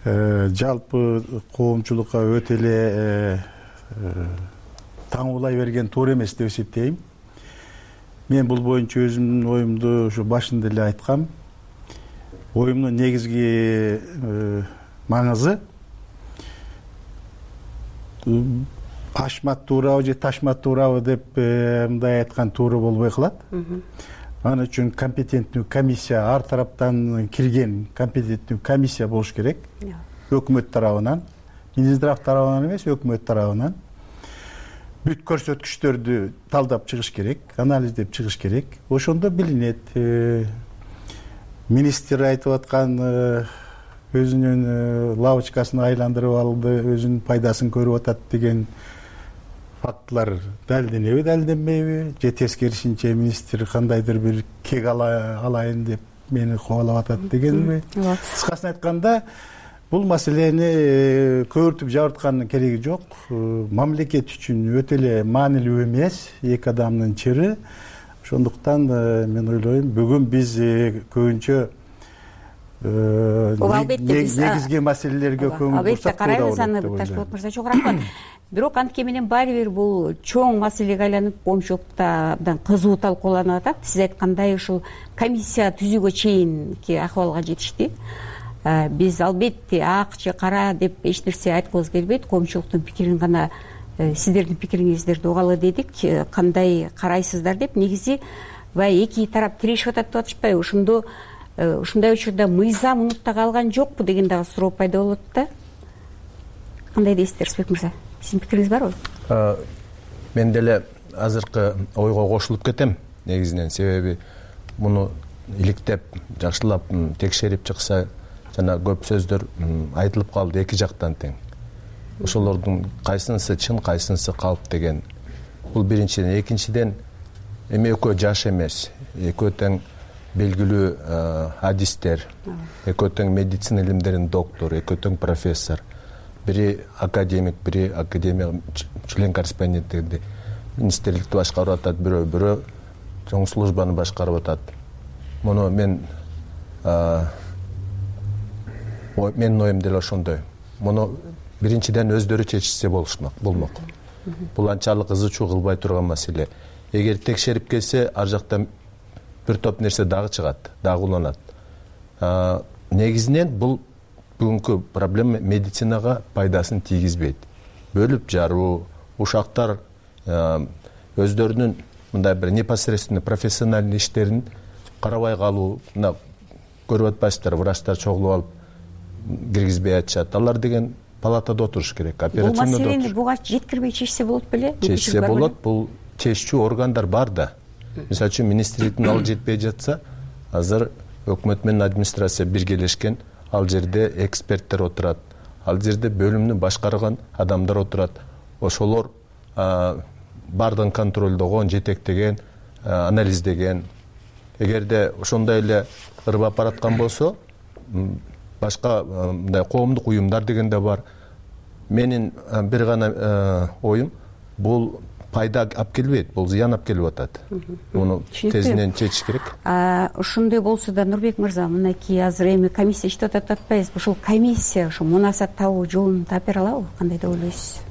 жалпы коомчулукка өтө эле таңуулай берген туура эмес деп эсептейм. Мен бул боюнча өзүмдүн оюмду ушу башында эле айткам. Оюмдун негизги маңызы ашмат туурабы же ташмат туурабы деп мындай айткан туура болбой калат. Аны үчүн компетенттүү комиссия, ар тараптан кирген компетенттүү комиссия болуш керек. Өкмөт тарабынан, Минздрав тарабынан эмес, өкмөт тарабынан бүт көрсөткүчтөрдү талдап чыгыш керек, анализдеп чыгыш керек. Ошондо билинет. Министр айтып аткан өзүнүн лавочкасын айландырып алды, өзүнүн пайдасын көрүп атат деген фактылар далилденеби, далилденбейби, же тескерисинче министр кандайдыр бир кек алайын деп мени кубалап атат дегенби? Кыскасын айтканда, бул маселени көбүртүп жабырткандын кереги жок. Мамлекет үчүн өтө эле маанилүү эмес эки адамдын чыры. Ошондуктан мен ойлойм, бүгүн биз көбүнчө негизги маселелерге көңүл бурсак карайбыз. Аны Ташболот мырза чоң рахмат. Бирок антке менен баары бир бул чоң маселеге айланып, коомчулукта абдан кызуу талкууланып атат. Сиз айткандай, ушул комиссия түзүүгө чейинки акыбалга жетишти. Биз албетте ак же кара деп эч нерсе айткыбыз келбейт. Коомчулуктун пикирин гана, сиздердин пикириңиздерди угалы дедик. Кандай карайсыздар деп. Негизи баягы эки тарап тирешип атат деп атышпайбы? Ошондо ушундай учурда мыйзам унутта калган жокпу деген дагы суроо пайда болот да. Кандай дейсиздер, Рыспек мырза? Сиздин пикириңиз барбы? Мен деле азыркы ойго кошулуп кетем негизинен. Себеби муну иликтеп, жакшылап текшерип чыкса, жана көп сөздөр айтылып калды эки жактан тең. ошолордун кайсынысы чын, кайсынысы калп деген. Бул биринчиден. Экинчиден, эми экөө жаш эмес, экөө тең белгилүү адистер, экөө тең медицина илимдеринин доктору, экөө тең профессор. Бири академик, бири академия член корреспонденти министрликти башкарып атат, бирөө чоң службаны башкарып атат. Муну менин оюм деле ошондой. Муну биринчиден өздөрү чечишсе болмок. Бул анчалык ызы-чуу кылбай турган маселе. Эгер текшерип келсе, ар жакта бир топ нерсе дагы чыгат, дагы уланат. Негизинен бул бүгүнкү проблема медицинага пайдасын тийгизбейт. Бөлүп жаруу, ушактар өздөрүнүн мындай бир непосредственно профессиональный иштерин карабай калуу, мына көрүп атпайсыздар, врачтар чогулуп алып киргизбей атышат. Алар деген палатада отуруш керек, операционда отуруш. Бул маселени буга жеткирбей чечсе болот беле? Чечсе болот, бул чечүүчү органдар бар да. Мисалы үчүн министрликтин ал жетпей жатса, азыр өкмөт менен администрация биргелешкен, ал жерде эксперттер отурат, ал жерде бөлүмдү башкарган адамдар отурат. Ошолор бардыгын контролдогон, жетектеген, анализдеген. Эгерде ошондой эле ырбап бараткан болсо, башка мындай коомдук уюмдар деген да бар. Менин бир гана оюм, бул пайда алып келбейт, бул зыян алып келип атат. Муну тезинен чечиш керек. Ошондой болсо да, Нурбек мырза, мынакей азыр эми комиссия иштеп атат атпайбызбы? Ушул комиссия ошо мунасат табуу жолун таап бере алабы? Кандай деп ойлойсуз?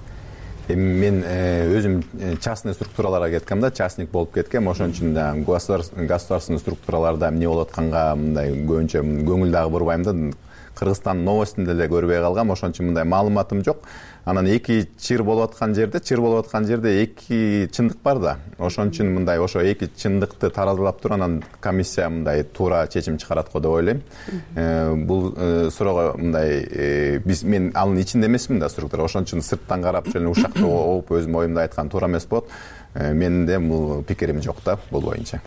Эми мен өзүм частный структураларга кеткем да, частник болуп кеткем. Ошон үчүн да государственный структураларда эмне болуп атканга мындай көбүнчө көңүл дагы бурбайм да. Кыргызстан новостунда деле көрбөй калгам, ошон үчүн мындай маалыматым жок. Анан эки чыр болуп аткан жерде эки чындык бар да. Ошон үчүн мындай ошо эки чындыкты таразалап туруп анан комиссия мындай туура чечим чыгарат го деп ойлойм. Бул суроого мындай мен анын ичинде эмесмин да структура. Ошон үчүн сырттан карап ошо ушакта оп өзүм оюмду айткан туура эмес болот. Менин да бул пикирим жок да бул боюнча.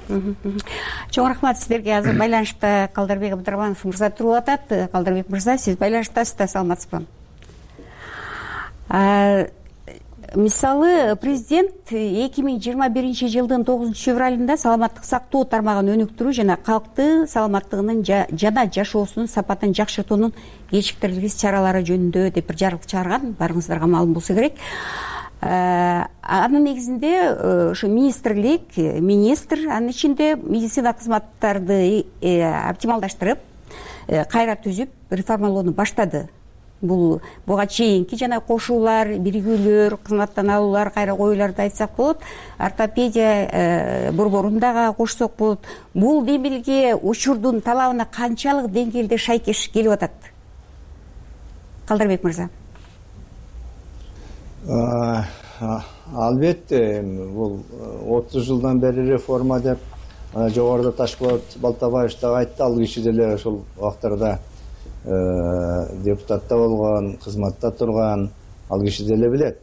Чоң рахмат сиздерге. Азыр байланышта Калдарбек Абдрахманов мырза туруп атат. Калдарбек мырза, сиз байланыштасыз да, саламатсызбы? Мисалы, президент 2021 жылдын 9 февралында саламаттык сактоо тармагын өнүктүрүү жана калкты саламаттыгынын жана жашоосунун сапатын жакшыртуунун кечиктирилгис чаралары жөнүндө деп бир жарык чыгарган, барыңыздарга маалым болсо керек. Анын негизинде ошо министр анын ичинде медицина кызматтарды оптималдаштырып, кайра түзүп, реформалоону баштады. Буга чейинки жана кошуулар, биригүүлөр, кызматтан алуулар, кайра коюуларды айтсак болот, ортопедия борборун дагы кошсок болот. Бул демилге учурдун талабына канчалык деңгээлде шайкеш келип атат? Калдарбек мырза. Албетте, бул 30 жылдан бери реформа деп жогоруда Ташполот Балтабаев дагы айтты, ал киши деле ошол убактарда депутатта болгон, кызматта турган, ал киши деле билет.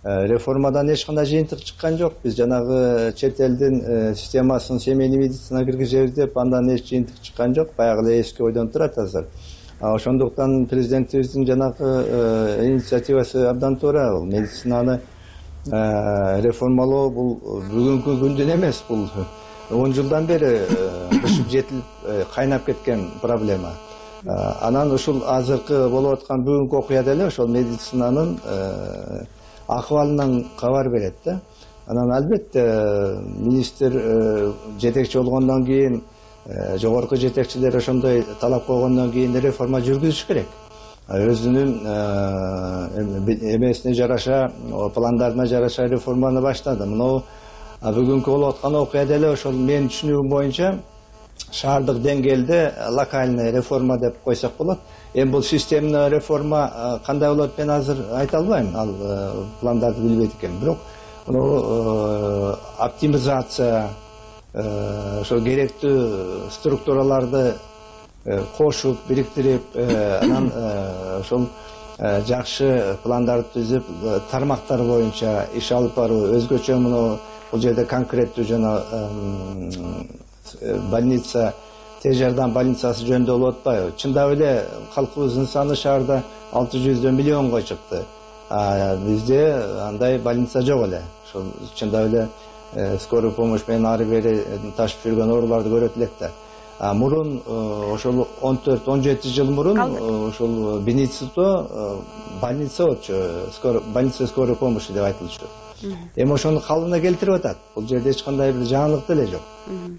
Реформадан эч кандай жыйынтык чыккан жок. Биз жанагы чет элдин системасын семейный медицина киргизебиз деп, андан эч жыйынтык чыккан жок. Баягы эле эски ойдон турат азыр. Ошондуктан президентибиздин жанагы инициативасы абдан туура. Бул медицинаны реформалоо бул бүгүнкү күндүн эмес, бул 10 жылдан бери бышып жетилип кайнап кеткен проблема. Анан ушул азыркы болуп аткан бүгүнкү окуя деле ошол медицинанын акыбалынан кабар берет да. Анан албетте министр жетекчи болгондон кийин, жогорку жетекчилер ошондой талап койгондон кийин реформа жүргүзүш керек. Өзүнүн эмесине жараша, пландарына жараша реформаны баштады. Мына бүгүнкү болуп аткан окуя деле ошол менин түшүнүгүм боюнча шаардык деңгээлде локальный реформа деп койсок болот. Эми бул системный реформа кандай болот мен азыр айта албайм, ал пландарды билбейт экенмин. Бирок оптимизация, ошо керектүү структураларды кошуп, бириктирип, анан ошол жакшы пландарды түзүп, тармактар боюнча иш алып баруу, өзгөчө мына бул жерде конкреттүү жана больница, тез жардам больницасы жөнүндө болуп атпайбы? Чындап эле калкыбыздын саны шаарда 600 миллионго чыкты. бизде андай больница жок эле. Ошол чындап эле скорый помощь менен ары бери ташып жүргөн ооруларды көрөт элек да. Мурун ошол 14-17 жыл мурун ошол Беницито больница болчу, больница скорой помощи деп айтылчу. Эми ошону калыбына келтирип атат. Бул жерде эч кандай бир жаңылык деле жок.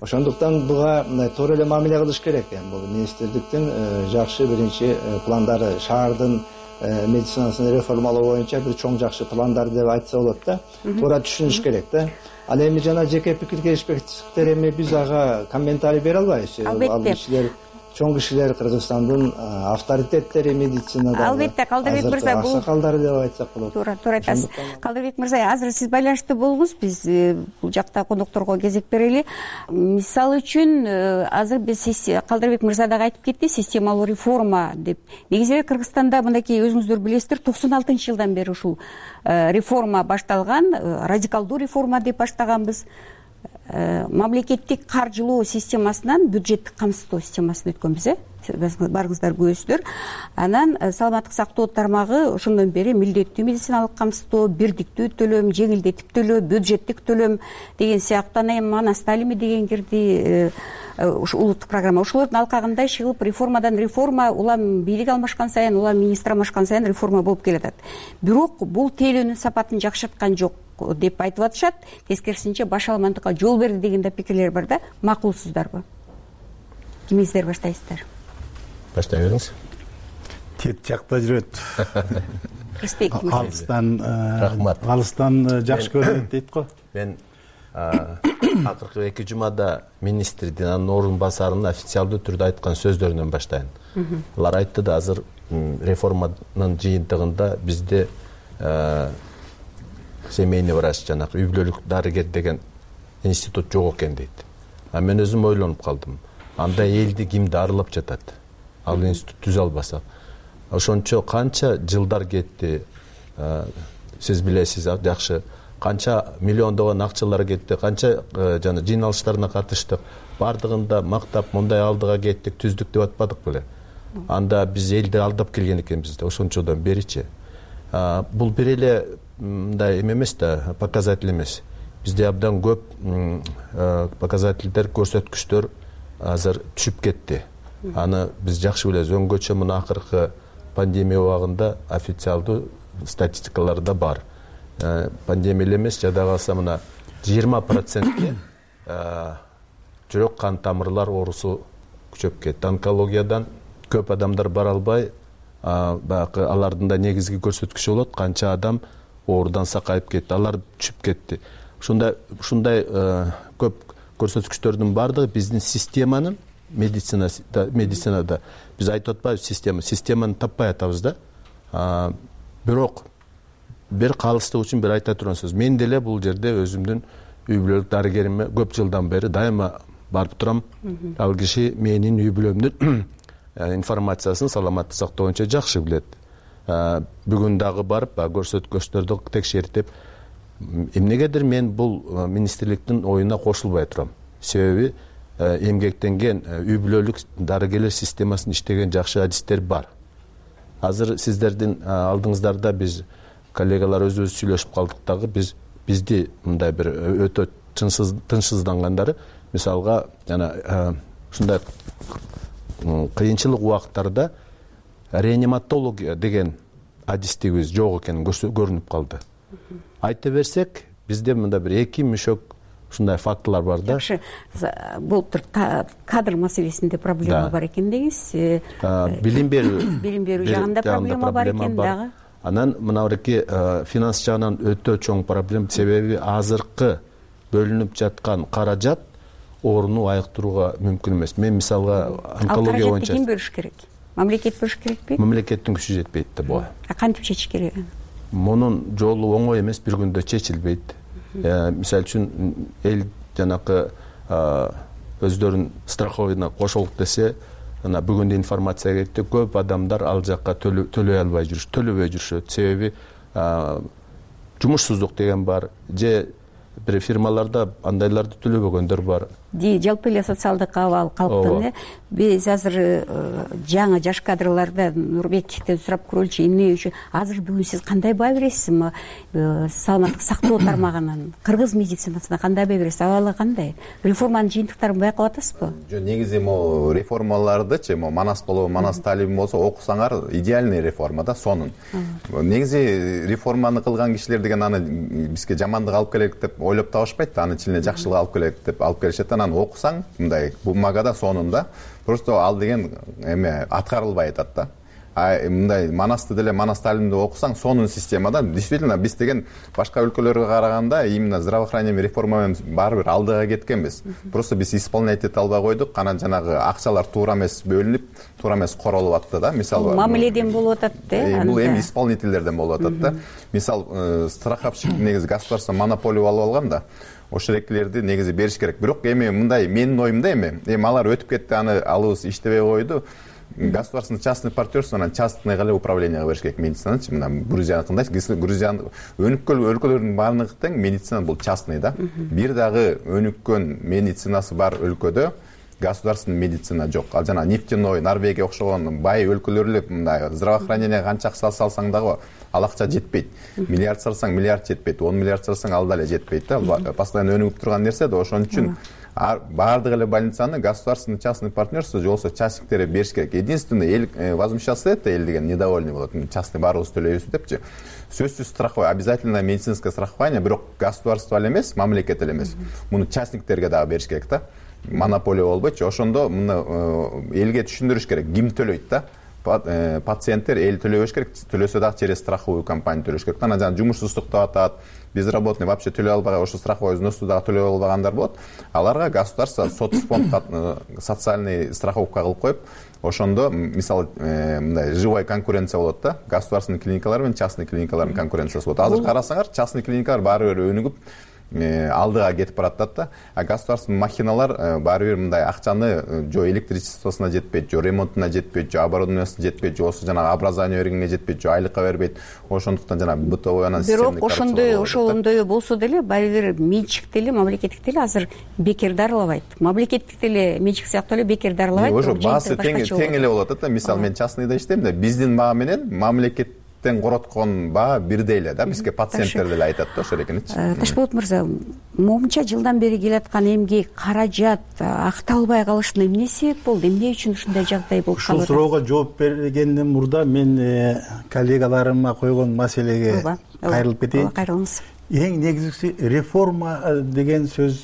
Ошондуктан буга мындай туура эле мамиле кылыш керек. Бул министрликтин жакшы биринчи пландары, шаардын медицинасын реформалоо боюнча бир чоң жакшы пландар деп айтса болот да. Туура түшүнүш керек да. Ал эми жана жеке пикир келишпестиктер эми биз ага комментарий бере албайбыз. Ал кишилер чоң кишилер Кыргызстандын авторитеттери медицинада. Албетте, Калдырбек мырза, бул аксакалдары деп айтсак болот. Туура айтасыз. Калдырбек мырза, азыр сиз байланыштуу болуңуз, биз бул жакта конокторго кезек берели. Мисалы үчүн азыр биз Калдырбек мырза дагы айтып кетти, системалуу реформа деп. Негизи эле Кыргызстанда мындайкей өзүңүздөр билесиздер, 96-жылдан бери ушул реформа башталган, радикалдуу реформа деп баштаганбыз. Мамлекеттик каржылоо системасынан бюджеттик камсыздоо системасына өткөнбүз, барыңыздар көрөсүздөр. Анан саламаттык сактоо тармагы ошондон бери милдеттүү медициналык камсыздоо, бирдиктүү төлөм, жеңилдетип төлөө, бюджеттик төлөм деген сыяктуу, анан Сталими деген кирди, улуттук программа. Ошолордун алкагында иш кылып реформадан реформа, улам бийлик алмашкан сайын, улам министр алмашкан сайын реформа болуп келатат. Бирок бул тейлөөнүн сапатын жакшырткан жок деп айтып атышат. Тескерисинче башаламандыкка жол берди деген да пикирлер бар да. Макулсуздарбы? Кимиңиздер баштайсыздар? Баштай бериңиз. Тет жакта жүрөт. Алыстан жакшы көрөт дейт го. Мен акыркы 2 жумада министрдин, анын орун басарынын официалдуу түрдө айткан сөздөрүнөн баштайын. Алар айтты да, азыр реформанын жыйынтыгында бизде семейный врач, жанагы үй бүлөлүк дарыгер деген институт жок экен дейт. Мен өзүм ойлонуп калдым. Анда элди кимди арылап жатат? Ал институт түзө албаса. Ошончо канча жылдар кетти, сиз билесиз жакшы. Канча миллиондогон акчалар кетти, канча жана жыйналыштарына катыштык. Бардыгында мактап, мындай алдыга кеттик, түздүк деп атпадык беле. Анда биз элди алдап келген экенбиз да, ошончодон беричи. Бул бир эле мындай эмес да, показатель эмес. Бизде абдан көп показательдер, көрсөткүчтөр азыр түшүп кетти. Аны биз жакшы билебиз. Өңгөчө мына акыркы пандемия убагында официалдуу статистикаларда бар. Пандемия эмес, жада калса мына 20%ке жүрөк кан тамырлар оорусу күчөп кетти. Онкологиядан көп адамдар бара албай, баягы алардын да негизги көрсөткүчү болот, канча адам оорудан сакайып кетти, алар түшүп кетти. Ушундай көп көрсөткүчтөрдүн бардыгы биздин системанын медицинада биз айтып атпайбыз, системаны таппай атабыз да. Бирок бир калыстык үчүн бир айта турган сөз. Мен деле бул жерде өзүмдүн үй бүлөлүк дарыгериме көп жылдан бери дайыма барып турам. Ал киши менин үй бүлөмдүн информациясын саламаттык сактоо боюнча жакшы билет. Бүгүн дагы барып көрсөткүчтөрдү текшертип, эмнегедир мен бул министрликтин оюна кошулбай турам. Себеби эмгектенген үй бүлөлүк дарыгерлер системасын иштеген жакшы адистер бар. Азыр сиздердин алдыңыздарда биз коллегалар өзүбүз сүйлөшүп калдык дагы, бизди мындай бир өтө тынчсыздангандары, мисалга жана ушундай кыйынчылык убакыттарда реаниматология деген адистигибиз жок экени көрүнүп калды. Айта берсек, бизде мында бир 2 мүшөк ушундай фактылар бар да. Жакшы, бул кадр маселесинде проблема бар экен деңиз. Билим берүү жагында проблема бар экен дагы. Анан мына бирки финанс жагынан өтө чоң проблема, себеби азыркы бөлүнүп жаткан каражат орунду айыктырууга мүмкүн эмес. Мен мисалга онкология боюнча ким бөлүш керек? Мамлекет бөлүш керекпи? Мамлекеттин күчү жетпейт да буга. Кантип чечиш керек? Мунун жолу оңой эмес, бир күндө чечилбейт. Мисалы үчүн эл жанакы өздөрүнүн страховыйына кошолук десе, ана бүгүн информация кетти, көп адамдар ал жакка төлөбөй жүрүшөт. Себеби жумушсуздук деген бар, же бир фирмаларда андайларды төлөбөгөндөр бар. жалпы эле социалдык абал калктын биз азыр жаңы жаш кадрларда Нурбековден сурап көрөлүчү эмне үчүн азыр бүгүн сиз кандай баа бересиз саламаттык сактоо тармагынын кыргыз медицинасына кандай баа бересиз абалы кандай реформанын жыйынтыктарын байкап атасызбы? Жок, негизи могу реформалардычы могу Манас болобу Манас талибин болсо окусаңар идеальный реформа да сонун. Негизи реформаны кылган кишилер деген аны бизге жамандык алып келет деп ойлоп табышпайт да, аны ичине жакшылык алып келет деп алып келишет. Анан окусаң мындай бумагада сонун да, просто ал деген эме аткарылбай атат да. Мындай Манасты деле Манас талимди окусаң сонун системада действительно биз деген башка өлкөлөргө караганда именно здравоохранение реформа менен баары бир алдыга кеткенбиз. Просто биз исполнять эте албай койдук, анан жанагы акчалар туура эмес бөлүнүп, туура эмес королуп атты да. Мисалы мамиледен болуп атат да. Бул эми исполнительдерден болуп атат да. Мисал страховщик негизи государство монополия алып алган да. Ошол экилерди негизи бериш керек. Бирок эми мындай менин оюмда эми алар өтүп кетти, аны алыбыз иштебей койду. Государственный частный партнерство анан частный эле управленияга бериш керек медицинанычы. Мына Грузияны кандай? Грузия өнүккөн өлкөлөрдүн баардыгы тең медицина бул частный да. Бир дагы өнүккөн медицинасы бар өлкөдө государственный медицина жок. Ал жана нефтяной, Норвегия окшогон бай өлкөлөр эле мындай здравоохранение канча акча салсаң дагы ал акча жетпейт. Миллиард салсаң миллиард жетпейт, 10 миллиард салсаң ал дале жетпейт да. Постоянно өнүгүп турган нерсе да. Ошон үчүн баардык эле больницаны государственный частный партнерство же болбосо частниктер бериш керек. Единственное эл возмущаться этет, эл деген недовольный болот. Частный баарыбыз төлөйбүз депчи. Сөзсүз страхование, обязательно медицинское страхование, бирок государство эле эмес, мамлекет эле эмес. Муну частниктерге дагы бериш керек да. Монополия болбойчу. Ошондо муну элге түшүндүрүш керек. Ким төлөйт да? Пациенттер эл төлөбөш керек. Төлөсө дагы через страховую компания төлөш керек. Анан жана жумушсуздук деп атат. Безработный вообще төлөй албаган, ошо страховой взносу дагы төлөй албагандар болот. Аларга государство соцфонд социальный страховка кылып коюп, ошондо мисалы мындай живая конкуренция болот да. Государственный клиникалар менен частный клиникалардын конкуренциясы болот. Азыр карасаңар, частный клиникалар баары бир өнүгүп алдыга кетип баратат да. А государственный махиналар баары бир мындай акчаны жо электричествосуна жетпейт, жо ремонтуна жетпейт, жо оборудованиясына жетпейт, же болбосо жанагы образование бергенге жетпейт, жо айлыкка бербейт. Ошондуктан жана бытовой анан бирок ошондой болсо деле баары бир менчик деле мамлекеттик деле азыр бекер дарылабайт. Мамлекеттик деле менчик сыяктуу эле бекер дарылабайт. Ошо баасы тең эле болот да. Мисалы мен частныйда иштейм да, биздин баа менен мамлекет короткон баа бирдей эле да. Бизге пациенттер деле айтат да ошол экеничи. Ташболот мырза, момунча жылдан бери келаткан эмгек, каражат акталбай калышына эмне себеп болду? Эмне үчүн ушундай жагдай болуп калды? Ушул суроого жооп бергенден мурда мен коллегаларыма койгон маселеге кайрылып кетейин. Кайрылыңыз. Эң негизгиси реформа деген сөз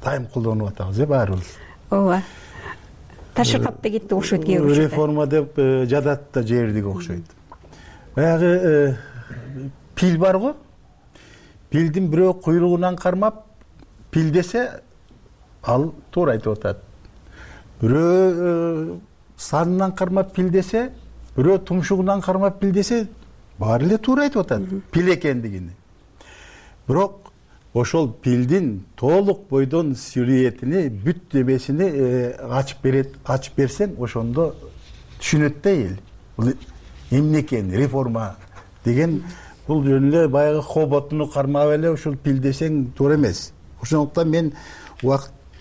дайым колдонуп атабыз баарыбыз. Ооба. Ташыркап да кетти окшойт кээ бир. Реформа деп жадат да жибердик окшойт. Баягы пил бар го. Пилдин бирөө куйругунан кармап пил десе ал туура айтып атат. Бирөө санынан кармап пил десе, бирөө тумшугунан кармап пил десе баары эле туура айтып атат пил экендигин. Бирок ошол пилдин толук бойдон сюжетини, бүт небесини ачып берсең, ошондо түшүнөт да эл. Бул эмне экен реформа деген, бул жөн эле баягы хоботуну кармап эле ушул пил десең туура эмес. Ошондуктан мен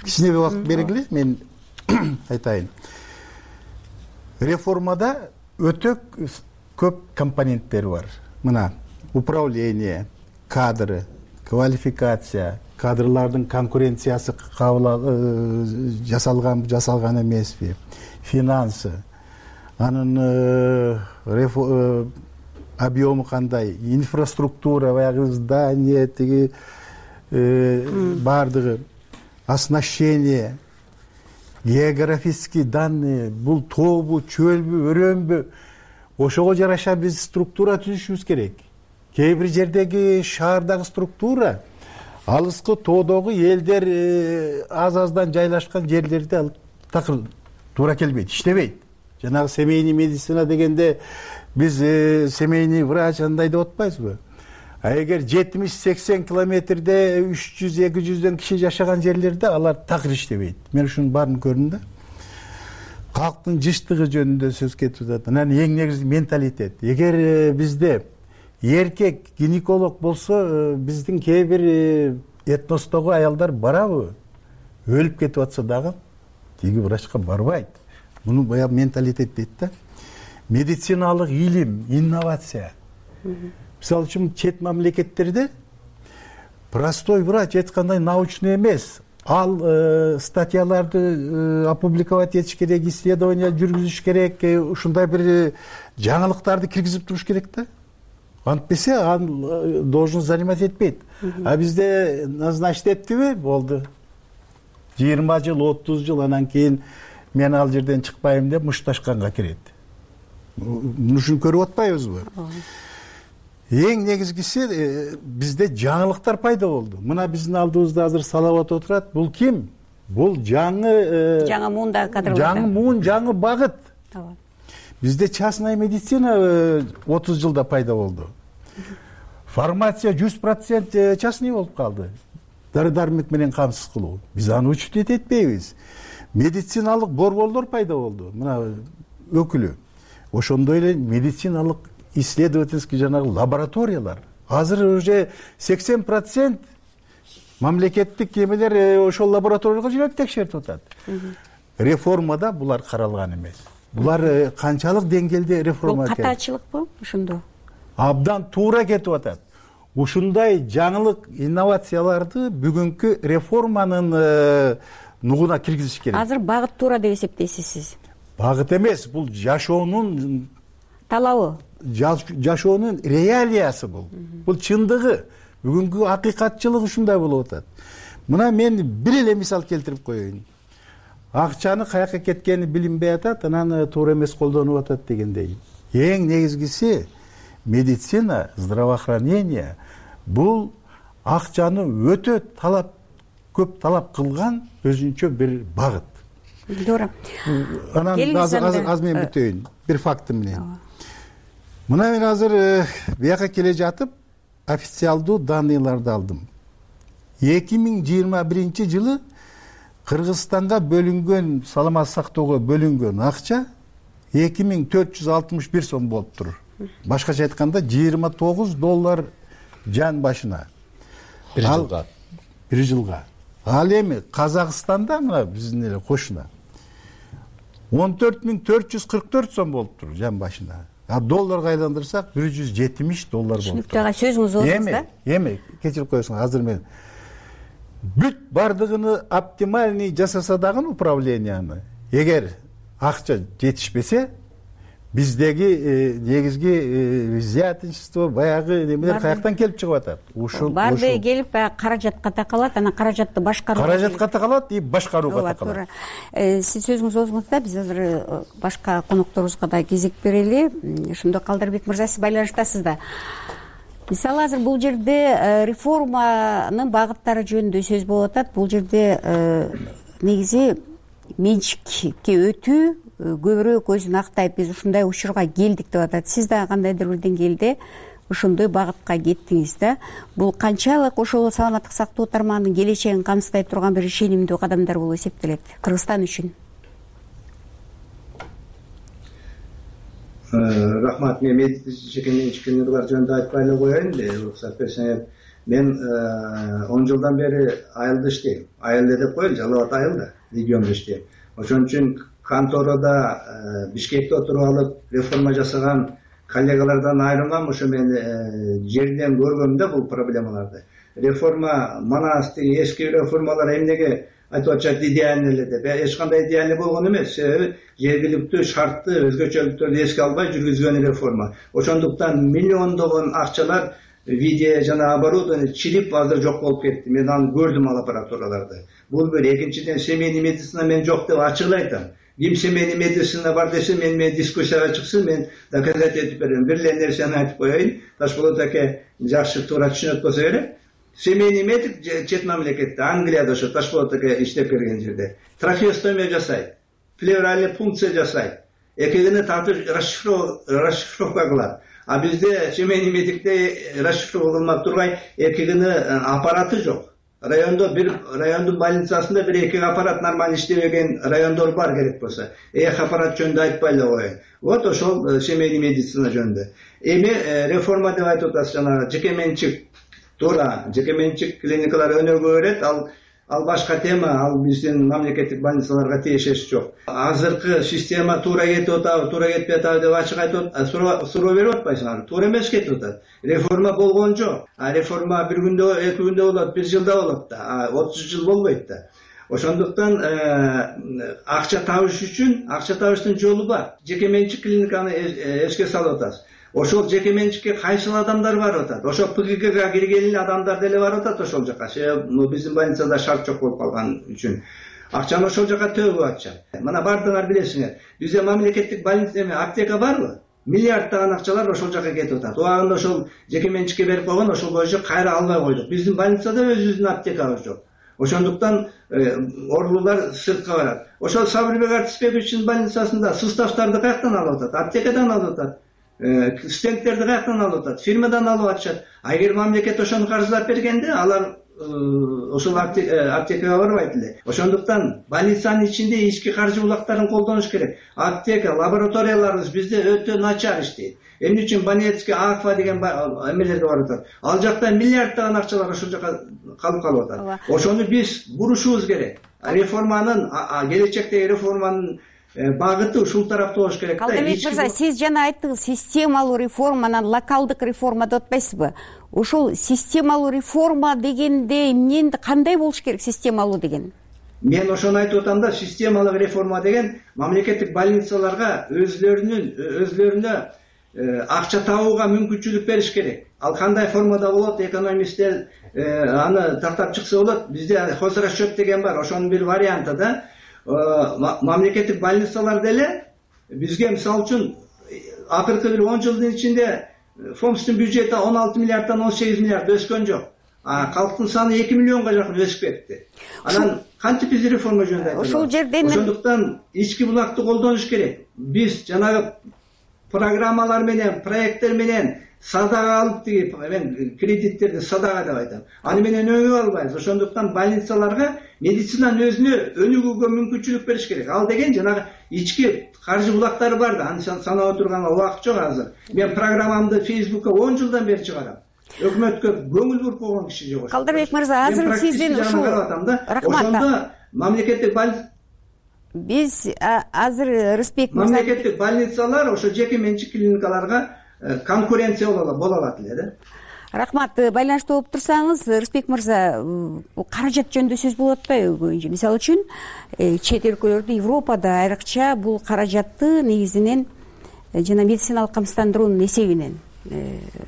кичине убакыт бергиле, мен айтайын. Реформада өтө көп компоненттер бар. Мына управление, кадры, квалификация, кадрлардын конкуренциясы жасалган эмеспи, финансы, анын объему кандай, инфраструктура, баягы здание, тиги бардыгы, оснащение, географический данные, бул тообу, чөлбү, өрөөнбү, ошого жараша биз структура түзүшүбүз керек. Кээ бир жердеги шаардагы структура алыскы тоодогу элдер аз-аздан жайлашкан жерлерде ал такыр туура келбейт, иштебейт. Жанагы семейный медицина дегенде биз семейный врач андай деп атпайбызбы? А эгер 70-80 километрде 300-200дөн киши жашаган жерлерде алар такыр иштебейт. Мен ушунун баарын көрдүм да. Калктын жыштыгы жөнүндө сөз кетип атат. Анан эң негизи менталитет. Эгер бизде эркек гинеколог болсо, биздин кээ бир этностогу аялдар барабы? өлүп кетип атса дагы тиги врачка барбайт. Муну баягы менталитет дейт да. Медициналык илим, инновация. Мисалы үчүн чет мамлекеттерде простой врач айткандай научный эмес. Ал статьяларды опубликовать этиш керек, исследование жүргүзүш керек, ушундай бир жаңылыктарды киргизип туруш керек да. Антпесе ал должность занимать этпейт. А бизде назначить эттиби? Болду. 20 жыл, 30 жыл анан кийин мен ал жерден чыкпайм деп мушташканга кирет. Мушуну көрүп атпайбызбы? Эң негизгиси бизде жаңылыктар пайда болду. Мына биздин алдыбызда азыр Салават отурат. Бул ким? Бул жаңы муунда кадрлар. Жаңы муун, жаңы багыт. Бизде частная медицина 30 жылда пайда болду. Фармация 100% частный болуп калды. Дары-дармек менен камсыз кылуу. Биз аны учет этпейбиз. Медициналык борборлор пайда болду. Мына өкүлү. Ошондой эле медициналык исследовательский жанагы лабораториялар. Азыр уже 80% мамлекеттик эмелер ошол лабораторияга жүрөп текшертип атат. Реформада булар каралган эмес. Булар канчалык деңгээлде реформа кетти? Бул катачылыкпы ошондо? Абдан туура кетип атат. Ушундай жаңылык инновацияларды бүгүнкү реформанын нугуна киргизиш керек. Азыр багыт туура деп эсептейсиз сиз? Багыт эмес, бул жашоонун талабы. Жашоонун реалиясы бул. Бул чындыгы. Бүгүнкү акыйкатчылык ушундай болуп атат. Мына мен бир эле мисал келтирип коеюн. Акчаны каяка кеткени билинбей атат, анан туура эмес колдонуп атат дегендей. Эң негизгиси медицина, здравоохранение бул акчаны өтө көп талап кылган өзүнчө бир багыт. Туура. Анан аз мен бүтөйүн бир факты менен. Мына мен азыр бияка келе жатып официалдуу данныйларды алдым. 2021 жылы Кыргызстанга бөлүнгөн, саламат сактоого бөлүнгөн акча 2461 сом болуптур. Башкача айтканда $29 жан башына. Бир жылга. Ал эми Казакстанда мына биздин эле кошуна 14444 сом болуптур жан башына. А долларга айландырсак $170 болуптур. Түшүнүктүү, сөзүңүз болсоңуз да. Эми кечирип коесуң, азыр мен бүт бардыгыны оптимальный жасаса дагы управленияны, эгер акча жетишпесе, биздеги негизги взяточество баягы немелер каяктан келип чыгып атат? Барды келип каражатка такалат, анан каражатты башкаруу. Каражатка такалат и башкарууга такалат. Сиз сөзүңүз болсоңузда биз азыр башка конокторубузга да кезек берели. Ошондо Калдырбек мырза, сиз байланыштасыз да. Мисалы азыр бул жерде реформанын багыттары жөнүндө сөз болуп атат. Бул жерде негизи менчикке өтүү көбүрөөк өзүн актайт, биз ушундай учурга келдик деп атат. Сиз да кандайдыр бир деңгээлде ошондой багытка кеттиңиз да. Бул канчалык ошол саламаттык сактоо тармагынын келечегин камсыздай турган бир ишенимдүү кадамдар болуп эсептелет Кыргызстан үчүн? Рахмат, мен жеке менчиктүүлөр жөнүндө айтпай эле коеюн, уруксат берсеңер. Мен 10 жылдан бери айылда иштейм. Айылда деп коелу, Жалал Абад айылда, региондо иштейм. Ошон үчүн конторада Бишкекте отуруп алып реформа жасаган коллегалардан айрылмам. Ошо мен жерден көргөм да бул проблемаларды. Реформа манастык эски реформалар эмнеге айтып атышат идеальный эле деп. Эч кандай идеальный болгон эмес. Себеби жергиликтүү шартты, өзгөчөлүктөрдү эске албай жүргүзгөн реформа. Ошондуктан миллиондогон акчалар видео жана оборудование чилип азыр жок болуп кетти. Мен аны көрдүм, ал аппаратураларды. Бул бир. Экинчиден, семейный медицина мен жок деп ачык айтам. Ким семейный медицина бар десе, мен дискуссияга чыксын, мен доказать этип берем. Бир эле нерсени айтып коеюн. Ташболот аке жакшы туура түшүнөт болсо керек. Семейный медик чет мамлекетте, Англияда ошо Ташболот аке иштеп келген жерде трахеостомия жасайт, плевральный пункция жасайт, экегини тартып расшифровка кылат. А бизде семейный медикте расшифровка кылмап тургай экегини аппараты жок. Райондун больницасында бир эки аппарат нормально иштебеген райондор бар керек болсо. Аппарат жөнүндө айтпай эле коеюн. Вот ошол семейный медицина жөнүндө. Эми реформа деп айтып атасыз, жана жеке менчик. Туура, жеке менчик клиникалар өнөргө берет, ал ал башка тема, ал биздин мамлекеттик больницаларга тиешеси жок. Азыркы система туура кетип атабы, туура кетпей атабы деп ачык айтып суроо берип атпайсыңарбы? Туура эмес кетип атат. Реформа болгон жок. Реформа бир күндө, 2 күндө болот, 1 жылда болот да, 30 жыл болбойт да. Ошондуктан акча табыш үчүн, акча табыштын жолу бар. Жеке менчик клиниканы эске салып атабыз. Ошол жеке менчикке кайсыл адамдар барып атат? Ошол ПГКга кирген адамдар деле барып атат ошол жака. Биздин больницада шарт жок болуп калган үчүн. Акчаны ошол жака төгүп атышат. Мына бардыңар билесиңер. Бизде мамлекеттик больница аптека барбы? Миллиарддаган акчалар ошол жака кетип атат. Убагында ошол жеке менчикке берип койгон, ошол боюнча кайра албай койдук. Биздин больницада өзүбүздүн аптекабыз жок. Ошондуктан оорулар сыртка барат. Ошол Сабырбек Артисбековичтин больницасында составтарды каяктан алып атат? Аптекадан алып атат. Стендтерди каяктан алып атат? Фирмадан алып атышат. Эгер мамлекет ошону каржылап бергенде, алар ошол аптекага барбайт эле. Ошондуктан больницанын ичинде ички каржы булактарын колдонуш керек. Аптека, лабораторияларыбыз бизде өтө начар иштейт. Эмне үчүн Банецкий, Акфа деген эмелерге барып атат? Ал жакта миллиарддаган акчалар ошол жака калып атат. Ошону биз бурушубуз керек. Реформанын, келечектеги реформанын багыты ушул тарапта болуш керек. Калдыбек мырза, сиз жана айттыңыз, системалуу реформа, анан локалдык реформа деп атпайсызбы? Ушул системалуу реформа дегенде эмне, кандай болуш керек системалуу деген? Мен ошону айтып атам да, системалык реформа деген мамлекеттик больницаларга өзлөрүнө акча табууга мүмкүнчүлүк бериш керек. Ал кандай формада болот, экономисттер аны тактап чыкса болот. Бизде хозрасчет деген бар, ошонун бир варианты да. Мамлекеттик больницалар деле бизге мисалы үчүн акыркы бир 10 жылдын ичинде фонддун бюджети 16 миллиарддан 18 миллиард өскөн жок. Калктын саны 2 миллионго жакын өсүп кетти. Анан кантип биз реформа жөнүндө айтабыз? Ошол жерден ошондуктан ички булакты колдонуш керек. Биз жанагы программалар менен, проекттер менен садага алып мен кредиттерди садага деп айтам. Аны менен өңүп албайбыз. Ошондуктан больницаларга медицинанын өзүнө өнүгүүгө мүмкүнчүлүк бериш керек. Ал деген жанагы ички каржы булактары бар да, аны санап отурганга убакыт жок азыр. Мен программамды Facebookка 10 жылдан бери чыгарам. Өкмөткө көңүл буруп койгон киши жок. Калдырбек мырза, азыр сиздин ушул ошондо мамлекеттик биз азыр Рыспек мырза мамлекеттик больницалар ошо жеке менчик клиникаларга конкуренция боло алат эле да. Рахмат. Байланышта болуп турсаңыз, Рыспек мырза, каражат жөнүндө сөз болуп атпайбы? Мисалы үчүн, чет өлкөлөрдө, Европада айрыкча бул каражатты негизинен жана медициналык камсыздандыруунун эсебинен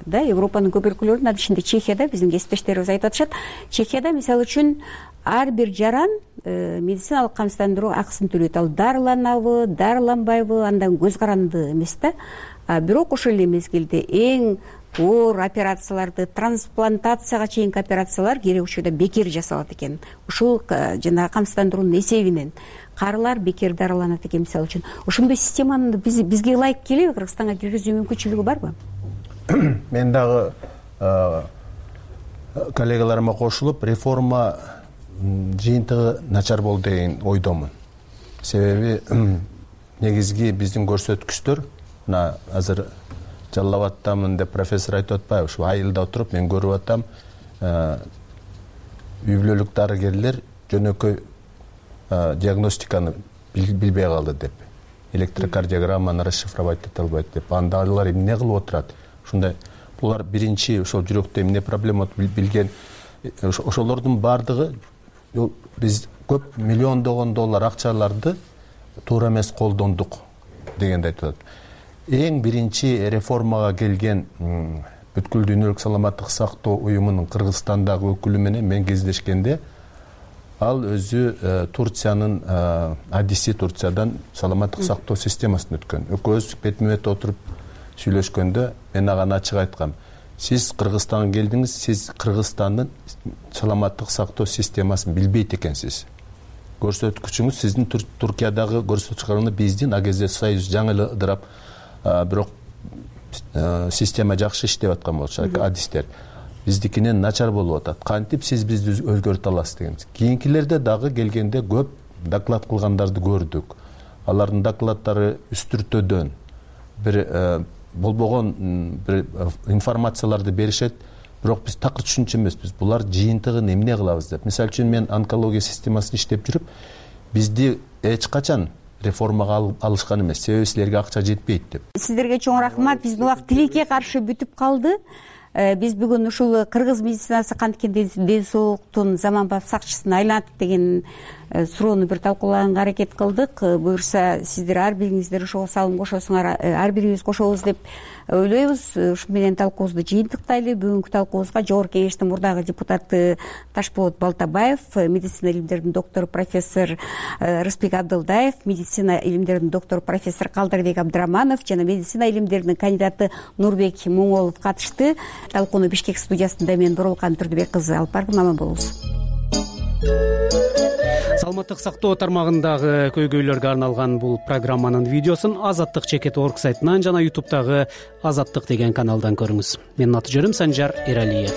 да, Европанын көп өлкөлөрүнүн, анын ичинде Чехияда биздин кесиптештерибиз айтып атышат. Чехияда мисалы үчүн ар бир жаран медициналык камсыздандыруу акысын төлөйт. Ал дарыланабы, дарыланбайбы, андан көз каранды эмес да. Бирок ошол эле мезгилде эң оор операцияларды, трансплантацияга чейинки операциялар керек учурда бекер жасалат экен. Ушул жана камсыздандыруунун эсебинен карылар бекер дарыланат экен, мисалы үчүн. Ошондой системаны бизге ылайык келеби? Кыргызстанга киргизүү мүмкүнчүлүгү барбы? Мен дагы коллегаларыма кошулуп, реформа жыйынтыгы начар болду деген ойдомун. Себеби негизги биздин көрсөткүчтөр, мына азыр Жалал Абадтамын деп профессор айтып атпайбы? Ушу айылда отуруп мен көрүп атам, үй бүлөлүк дарыгерлер жөнөкөй диагностиканы билбей калды деп, электрокардиограмманы расшифровать эте албайт деп, анда алар эмне кылып отурат? Ушундай булар биринчи ошол жүрөктө эмне проблема билген, ошолордун баардыгы биз көп миллиондогон доллар акчаларды туура эмес колдондук дегенди айтып атат. Эң биринчи реформага келген бүткүл дүйнөлүк саламаттык сактоо уюмунун Кыргызстандагы өкүлү менен мен кездешкенде, ал өзү Турциянын адиси, Турциядан саламаттык сактоо системасын өткөн. Экөөбүз бетме бет отуруп сүйлөшкөндө мен ага ачык айткам: сиз Кыргызстанга келдиңиз, сиз Кыргызстандын саламаттык сактоо системасын билбейт экенсиз. Көрсөткүчүңүз сиздин Туркиядагы көрсөткүчүңүз биздин АГЗ Союз жаңы ыдырап, бирок система жакшы иштеп аткан болчу, адистер. Биздикинен начар болуп атат. Кантип сиз бизди өзгөртө аласыз дегенбиз. Кийинкилерде дагы келгенде көп доклад кылгандарды көрдүк. Алардын докладдары үстүртөдөн бир болбогон бир информацияларды беришет. бирок биз такыр түшүнчү эмеспиз булар жыйынтыгын эмне кылабыз деп. Мисалы үчүн мен онкология системасында иштеп жүрүп, бизди эч качан реформага алышкан эмес, себеби силерге акча жетпейт деп. Сиздерге чоң рахмат. Биздин убакыт тилекке каршы бүтүп калды. Биз бүгүн ушул кыргыз медицинасы канткен ден соолуктун заманбап сакчысына айланат деген суроону бир талкуулаганга аракет кылдык. Буюрса сиздер ар бириңиздер ошого салым кошосуңар, ар бирибиз кошобуз деп ойлойбуз. Ушу менен талкуубузду жыйынтыктайлы. Бүгүнкү талкуубузга Жогорку Кеңештин мурдагы депутаты Ташболот Балтабаев, медицина илимдеринин доктору профессор Рыспек Абдылдаев, медицина илимдеринин доктору профессор Калдырбек Абдыраманов жана медицина илимдеринин кандидаты Нурбек Моңолов катышты. Талкууну Бишкек студиясында мен Боролкан Турдубек кызы алып бардым. Аман болуңуз. Саламаттык сактоо тармагындагы көйгөйлөргө арналган бул программанын видеосун Азаттык.org сайтынан жана YouTube'дагы Азаттык деген каналдан көрүңүз. Менин аты жөнүм Санжар Эралиев.